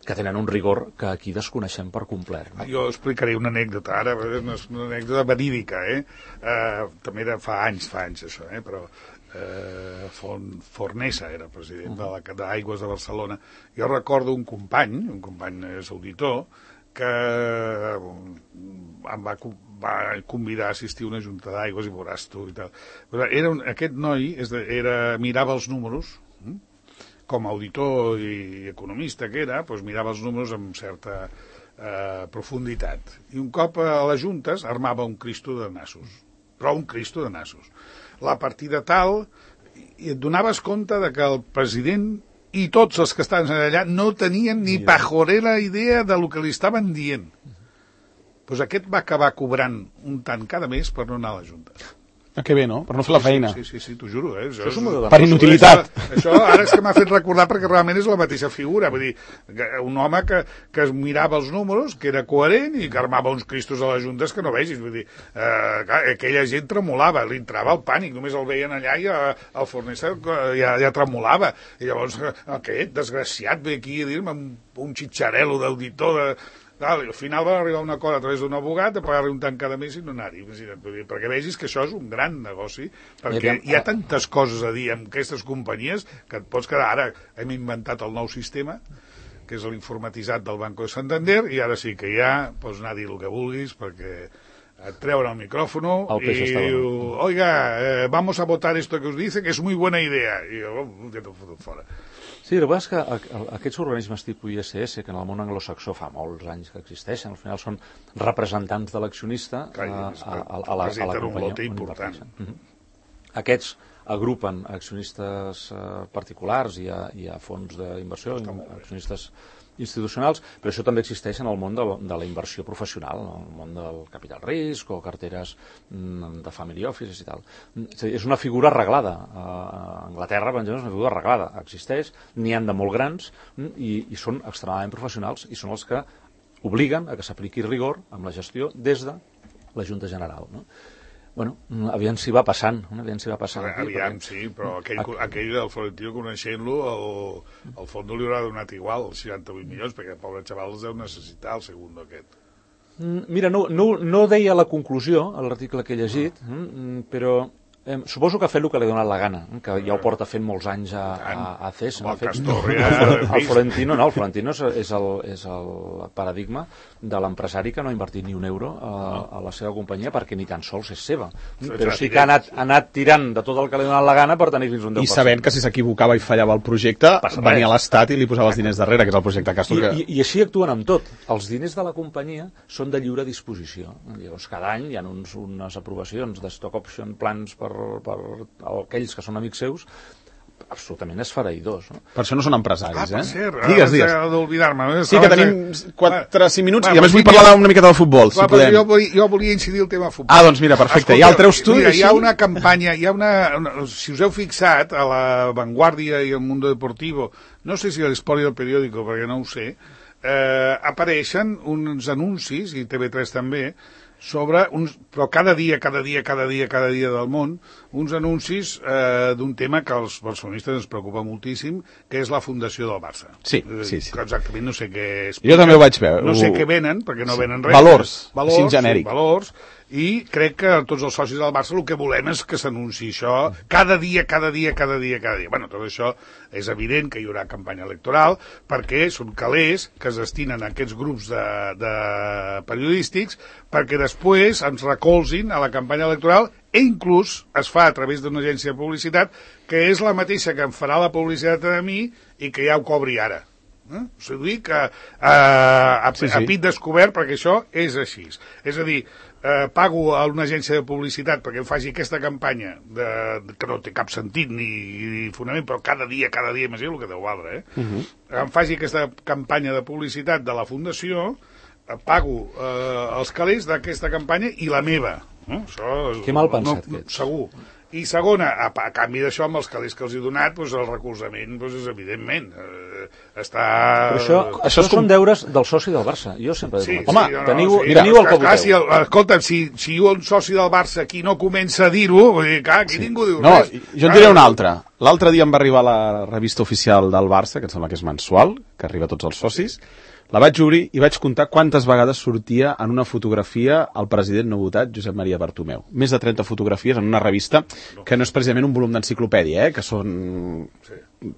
[SPEAKER 4] que tenen un rigor que aquí desconeixem per complet. No?
[SPEAKER 3] Jo explicaré una anècdota ara, una, una anècdota verídica, eh? Uh, també era fa anys, fa anys això, eh? Però uh, Fon, Fornesa era president uh-huh. de l'Aigües de Barcelona. Jo recordo un company, un company és auditor, que em va, va convidar a assistir a una junta d'aigües i veuràs tu i tal. Però era un, aquest noi és de, era, mirava els números, com a auditor i economista que era, doncs mirava els números amb certa eh, profunditat. I un cop a les juntes armava un cristo de nassos, però un cristo de nassos. La partida tal, i et donaves compte de que el president i tots els que estaven allà no tenien ni pajorera idea de lo que li estaven dient. Doncs aquest va acabar cobrant un tant cada mes per no anar a la Junta.
[SPEAKER 2] Ah, que bé, no? Per no fer la feina.
[SPEAKER 3] Sí, sí, sí, t'ho juro. Eh? Això
[SPEAKER 4] és un
[SPEAKER 3] és...
[SPEAKER 2] Per inutilitat.
[SPEAKER 3] Això, això ara és que m'ha fet recordar perquè realment és la mateixa figura. Vull dir, un home que, que es mirava els números, que era coherent i que armava uns cristos a les juntes que no vegis. Vull dir, eh, aquella gent tremolava, li entrava el pànic, només el veien allà i el Fornesa ja, ja tremolava. I llavors, aquest desgraciat ve aquí a dir-me un, un xitxarel·lo d'auditor de... Al final va arribar a un acord a través d'un abogat de pagar-li un tant cada mes i no anar-hi, perquè vegis que això és un gran negoci, perquè hi ha tantes coses a dir amb aquestes companyies que et pots quedar. Ara hem inventat el nou sistema, que és l'informatitzat del Banco de Santander, i ara sí que ja pots anar a dir el que vulguis, perquè et treuen el micrófono i diu, oiga, eh, vamos a votar esto que us dice, que és muy buena idea. I jo, oh, ja t'ho fotut fora.
[SPEAKER 4] Sí, el que és que aquests organismes tipus I S S, que en el món anglosaxó fa molts anys que existeixen, al final són representants de l'accionista a, a, a, a, la, a la companyia.
[SPEAKER 3] Important.
[SPEAKER 4] Uh-huh. Aquests agrupen accionistes uh, particulars i a, i a fons d'inversió, accionistes institucionals, però això també existeix en el món de la, de la inversió professional, en el món del capital risc o carteres de family offices i tal. És a dir, és una figura arreglada. A Anglaterra, per exemple, és una figura arreglada. Existeix, n'hi han de molt grans i, i són extremadament professionals i són els que obliguen a que s'apliqui rigor amb la gestió des de la Junta General, no? Bueno, aviam si va passant, aviam si va passant. Aquí,
[SPEAKER 3] aviam, perquè... sí, però aquell, aquell del Florentino, coneixent-lo, el, el fons li haurà donat igual, els seixanta-vuit milions, perquè el pobre xaval els deu necessitar, el segundo aquest.
[SPEAKER 4] Mira, no, no, no deia la conclusió, a l'article que he llegit, però eh, suposo que ha fet el que li ha donat la gana, que ja ho porta fent molts anys a, a, a C E S.
[SPEAKER 3] El,
[SPEAKER 4] fet,
[SPEAKER 3] Castor,
[SPEAKER 4] no,
[SPEAKER 3] ja,
[SPEAKER 4] el, el Florentino, no, el Florentino és, és, el, és el paradigma de l'empresari que no ha invertit ni un euro a, a la seva companyia perquè ni tan sols és seva. Però sí que ha anat, ha anat tirant de tot el que li ha donat la gana per tenir fins un deu per cent.
[SPEAKER 2] I sabent que si s'equivocava i fallava el projecte, venia a l'Estat i li posava els diners darrere, que és el projecte Castor.
[SPEAKER 4] I,
[SPEAKER 2] que...
[SPEAKER 4] i, I així actuen amb tot. Els diners de la companyia són de lliure disposició. Llavors, cada any hi ha uns, unes aprovacions de stock option plans per, per aquells que són amics seus, absolutament esfereïdors. No?
[SPEAKER 2] Per això no són empresaris,
[SPEAKER 3] ah, per
[SPEAKER 2] eh?
[SPEAKER 3] cert,
[SPEAKER 2] digues, digues.
[SPEAKER 3] d'oblidar-me.
[SPEAKER 2] Sí, que tenim quatre cinc minuts i a més vull parlar una miqueta del futbol, si podem.
[SPEAKER 3] Jo, vull, jo volia incidir el tema futbol.
[SPEAKER 2] Ah, doncs mira, perfecte.
[SPEAKER 3] Escolta,
[SPEAKER 2] ja el treus tu?
[SPEAKER 3] Mira, hi ha una campanya, hi ha una, una... Si us heu fixat, a la Vanguardia i al Mundo Deportivo, no sé si a l'Esport i al Periódico, perquè no ho sé, eh, apareixen uns anuncis, i T V tres també, sobre uns, però cada dia, cada dia, cada dia, cada dia del món, uns anuncis eh, d'un tema que als barcelonistes ens preocupa moltíssim, que és la fundació del Barça.
[SPEAKER 2] Sí, sí, sí.
[SPEAKER 3] Exactament, no sé què és.
[SPEAKER 2] Jo també ho vaig veure.
[SPEAKER 3] No sé què venen, perquè no
[SPEAKER 2] sí.
[SPEAKER 3] venen res.
[SPEAKER 2] Valors,
[SPEAKER 3] valors
[SPEAKER 2] així genèric.
[SPEAKER 3] Sí, valors, i crec que tots els socis del Barça el que volem és que s'anunciï això cada dia, cada dia, cada dia, cada dia. Bueno, tot això és evident que hi haurà campanya electoral, perquè són calés que es destinen a aquests grups de, de periodístics perquè després ens recolzin a la campanya electoral, i inclús es fa a través d'una agència de publicitat que és la mateixa que em farà la publicitat a mi i que ja ho cobri ara. Eh? O sigui que eh, a, sí, sí. a pit descobert, perquè això és així. És a dir, eh, pago a una agència de publicitat perquè em faci aquesta campanya de, que no té cap sentit ni, ni fonament, però cada dia, cada dia, m'és el que deu valdre, eh? Uh -huh. Em faci aquesta campanya de publicitat de la Fundació, eh, pago eh, els calés d'aquesta campanya i la meva. Eh? Això,
[SPEAKER 4] que mal pensat
[SPEAKER 3] no,
[SPEAKER 4] que ets.
[SPEAKER 3] Segur. I segona, a, a canvi d'això, amb els calés que els he donat, doncs el recolzament doncs, és evidentment. Eh, està...
[SPEAKER 4] Però això, això, això són com... deures del soci del Barça. Jo sempre
[SPEAKER 3] sí,
[SPEAKER 4] dic,
[SPEAKER 3] sí,
[SPEAKER 4] home,
[SPEAKER 3] no, no,
[SPEAKER 4] teniu,
[SPEAKER 3] sí,
[SPEAKER 4] teniu el que
[SPEAKER 3] clar,
[SPEAKER 4] voteu.
[SPEAKER 3] si el, escolta'm, si, si un soci del Barça aquí no comença a dir-ho, vull dir, clar, aquí sí. ningú diu
[SPEAKER 2] no,
[SPEAKER 3] res.
[SPEAKER 2] Jo en diré un altre. L'altre dia em va arribar la revista oficial del Barça, que em sembla que és mensual, que arriba a tots els socis. La vaig obrir i vaig comptar quantes vegades sortia en una fotografia el president no votat, Josep Maria Bartomeu. Més de trenta fotografies en una revista que no és precisament un volum d'enciclopèdia, eh? Que són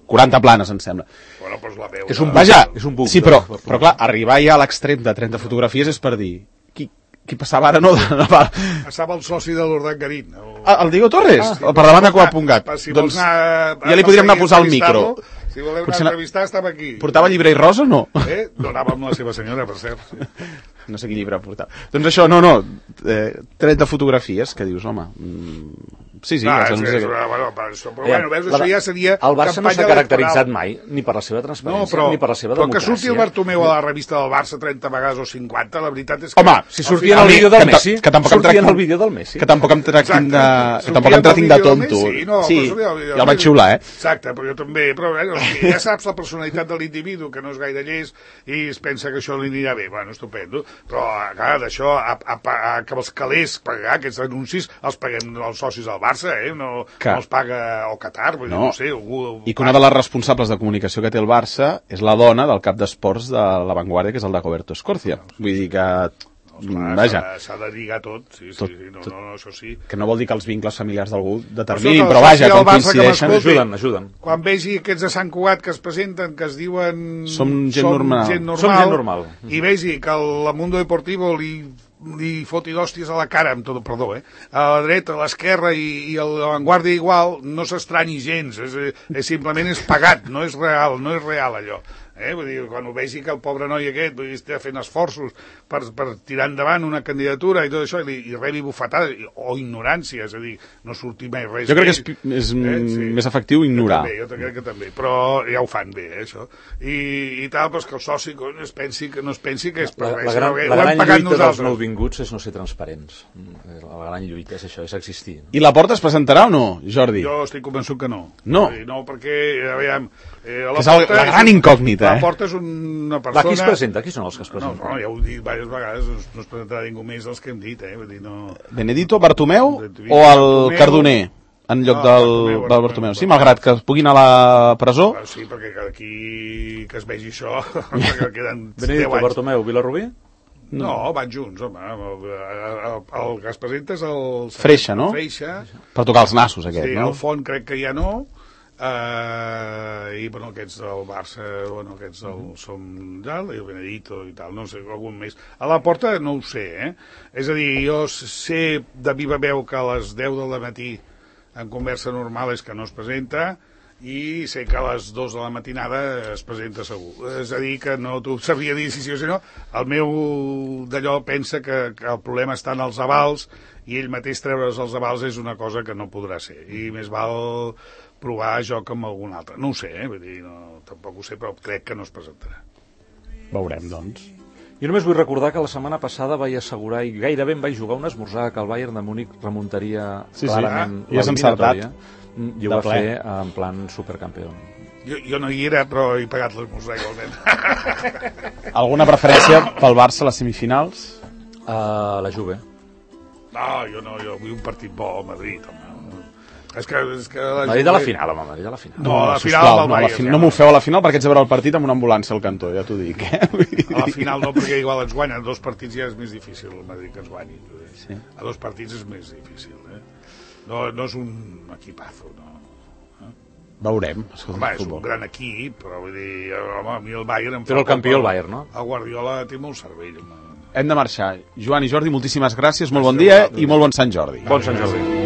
[SPEAKER 2] quaranta planes, em sembla.
[SPEAKER 3] Bueno, doncs la veu,
[SPEAKER 4] és un
[SPEAKER 2] Vaja,
[SPEAKER 4] és un buc,
[SPEAKER 2] sí, però, però clar, arribar ja a l'extrem de trenta fotografies és per dir... Qui, qui passava ara, no?
[SPEAKER 3] Passava el soci de l'Urdangarín. El...
[SPEAKER 2] Ah, el Diego Torres? Ah, sí, per davant de Coa punt gat.
[SPEAKER 3] Si
[SPEAKER 2] doncs
[SPEAKER 3] anar,
[SPEAKER 2] ja li podríem anar a posar el micro.
[SPEAKER 3] Si voleu anar a entrevistar, estava aquí.
[SPEAKER 2] Portava llibre i rosa o no?
[SPEAKER 3] Eh? No anava amb la seva senyora, per cert. Sí.
[SPEAKER 2] No sé quin llibre portava. Doncs això, no, no, eh, trenta fotografies, que dius, home... Mm, sí, sí.
[SPEAKER 3] Ah,
[SPEAKER 2] ja
[SPEAKER 3] és,
[SPEAKER 2] no
[SPEAKER 3] és,
[SPEAKER 2] sé
[SPEAKER 3] és, bueno, però, això, però bueno, veus, això ja seria
[SPEAKER 4] el Barça no s'ha caracteritzat
[SPEAKER 3] electoral.
[SPEAKER 4] mai, ni per la seva transparència,
[SPEAKER 3] no, però,
[SPEAKER 4] ni per la seva
[SPEAKER 3] però
[SPEAKER 4] democràcia.
[SPEAKER 3] Però que surti el Bartomeu a la revista del Barça trenta vegades o cinquanta, la veritat és que...
[SPEAKER 2] Home,
[SPEAKER 4] si sortia en el vídeo del Messi,
[SPEAKER 2] que tampoc
[SPEAKER 4] sortia en el vídeo del Messi.
[SPEAKER 2] Que tampoc em tractin de, que tampoc em tractin de tonto.
[SPEAKER 3] No,
[SPEAKER 2] sí,
[SPEAKER 3] ja
[SPEAKER 2] el vaig xiular, eh?
[SPEAKER 3] Exacte, però jo també, però eh, ja saps la personalitat de l'individu, que no és gaire llest, i es pensa que això li anirà bé. Bueno, estupendo. Però, clar, d'això, a, a, a, que els calés pagar aquests anuncis, els paguem els socis del Barça, eh? No, no els paga o Qatar, vull dir, no, no sé. Algú,
[SPEAKER 2] I que una de les responsables de comunicació que té el Barça és la dona del cap d'esports de La Vanguardia, que és el de Roberto Escorcia. Vull dir que...
[SPEAKER 3] No,
[SPEAKER 2] vaja.
[SPEAKER 3] S'ha de lligar tot, sí, sí,
[SPEAKER 2] tot,
[SPEAKER 3] sí, no,
[SPEAKER 2] tot,
[SPEAKER 3] no, no, això sí.
[SPEAKER 2] Que no vol dir que els vincles familiars d'algú determinin, però vaja, com coincideixen...
[SPEAKER 4] Ajuden, ajuden.
[SPEAKER 3] Quan vegi aquests de Sant Cugat que es presenten, que es diuen...
[SPEAKER 2] Som gent som normal.
[SPEAKER 3] Gent normal.
[SPEAKER 4] Som gent normal.
[SPEAKER 3] I vegi que el Mundo Deportivo li li foti d'hòsties a la cara, amb tot, perdó, eh? A la dreta, a l'esquerra i, i a la Vanguardia igual, no s'estranyi gens, és, és simplement és pagat, no és real, no és real allò. Eh? Vull dir, quan ho vegi que el pobre noi aquest vull dir, està fent esforços per, per tirar endavant una candidatura i tot això, i, i rebi bufetades o ignorància, és a dir, no surti mai res.
[SPEAKER 2] Jo crec que és, és eh? sí. més efectiu ignorar.
[SPEAKER 3] Jo també, jo crec que també, però ja ho fan bé, eh, això. I, i tal, però que el soci es pensi que no es pensi que és per
[SPEAKER 4] la,
[SPEAKER 3] res.
[SPEAKER 4] la gran,
[SPEAKER 3] no,
[SPEAKER 4] la gran lluita nosaltres. dels nouvinguts és no ser transparents. La gran lluita és això, és existir.
[SPEAKER 2] I la Porta es presentarà o no, Jordi?
[SPEAKER 3] Jo estic convençut que no.
[SPEAKER 2] No?
[SPEAKER 3] No, perquè, aviam... Eh, la
[SPEAKER 2] que és el, la gran incògnita,
[SPEAKER 3] la
[SPEAKER 2] eh?
[SPEAKER 3] La Porta és una persona...
[SPEAKER 4] Va, qui es presenta? Qui són els que es presenten?
[SPEAKER 3] No, no, ja ho he dit diverses vegades, no es presentarà ningú més dels que hem dit, eh? Vull dir, no...
[SPEAKER 2] Benedito, Bartomeu
[SPEAKER 3] Benedito,
[SPEAKER 2] o el
[SPEAKER 3] Bartomeu,
[SPEAKER 2] Cardoner? En lloc
[SPEAKER 3] no,
[SPEAKER 2] del
[SPEAKER 3] Bartomeu,
[SPEAKER 2] Bartomeu, Bartomeu. Sí, malgrat que pugui anar a la presó.
[SPEAKER 3] Sí, perquè aquí que es vegi això, que queden
[SPEAKER 4] Benedito, Bartomeu, Vilarrubí?
[SPEAKER 3] No. no, van junts, home. El, el, el que es presenta és el...
[SPEAKER 2] Freixa, no?
[SPEAKER 3] Freixa.
[SPEAKER 2] Per tocar els nassos, aquest,
[SPEAKER 3] sí,
[SPEAKER 2] no?
[SPEAKER 3] Sí, el Font crec que ja no. Uh, i bueno, aquests del Barça, bueno, aquests del som el Benedito i tal, no sé, algun més. A la Porta no ho sé, eh? És a dir, jo sé de viva veu que a les deu del matí en conversa normal és que no es presenta, i sé que a les dues de la matinada es presenta segur. És a dir, que no t'ho sabria dir si sí o si no. El meu d'allò pensa que, que el problema està en els avals i ell mateix treure's els avals és una cosa que no podrà ser. I més val provar joc amb algun altre. No ho sé, eh? Vull dir, no, tampoc ho sé, però crec que no es presentarà.
[SPEAKER 2] Veurem, doncs.
[SPEAKER 4] Jo només vull recordar que la setmana passada vaig assegurar, i gairebé em vaig jugar un esmorzar, que el Bayern de Múnich remuntaria
[SPEAKER 2] sí,
[SPEAKER 4] clarament
[SPEAKER 2] sí. Ah, l'eliminatòria.
[SPEAKER 4] I ho va fer en plan supercampió.
[SPEAKER 3] Jo, jo no hi era, però he pagat l'esmorzar igualment.
[SPEAKER 2] Alguna preferència pel Barça a les semifinals?
[SPEAKER 4] Uh, la Juve.
[SPEAKER 3] No, jo no, jo vull un partit bo al Madrid, home. És que, és que la
[SPEAKER 4] Madrid a la final, home, Madrid a la final.
[SPEAKER 3] No, a la
[SPEAKER 2] sisplau,
[SPEAKER 3] final amb el
[SPEAKER 2] no, a la
[SPEAKER 3] Bayern,
[SPEAKER 2] fin-
[SPEAKER 3] ja.
[SPEAKER 2] no m'ho feu a la final perquè haig de veure el partit amb una ambulància al cantó, ja t'ho dic. Eh?
[SPEAKER 3] A la final no, perquè igual ens guanyen dos partits, ja és més difícil el Madrid que ens guanyi.
[SPEAKER 2] Sí.
[SPEAKER 3] A dos partits és més difícil, eh? No, no és un equipazo, no.
[SPEAKER 2] Veurem. Escolta,
[SPEAKER 3] Home, és un
[SPEAKER 2] futbol.
[SPEAKER 3] gran equip, però vull dir, home, a mi el Bayern em fa...
[SPEAKER 4] Però el
[SPEAKER 3] por,
[SPEAKER 4] campió el Bayern, no?
[SPEAKER 3] El Guardiola té molt cervell, home.
[SPEAKER 2] Hem de marxar. Joan i Jordi, moltíssimes gràcies, molt bon dia i molt bon Sant Jordi.
[SPEAKER 4] Bon Sant Jordi.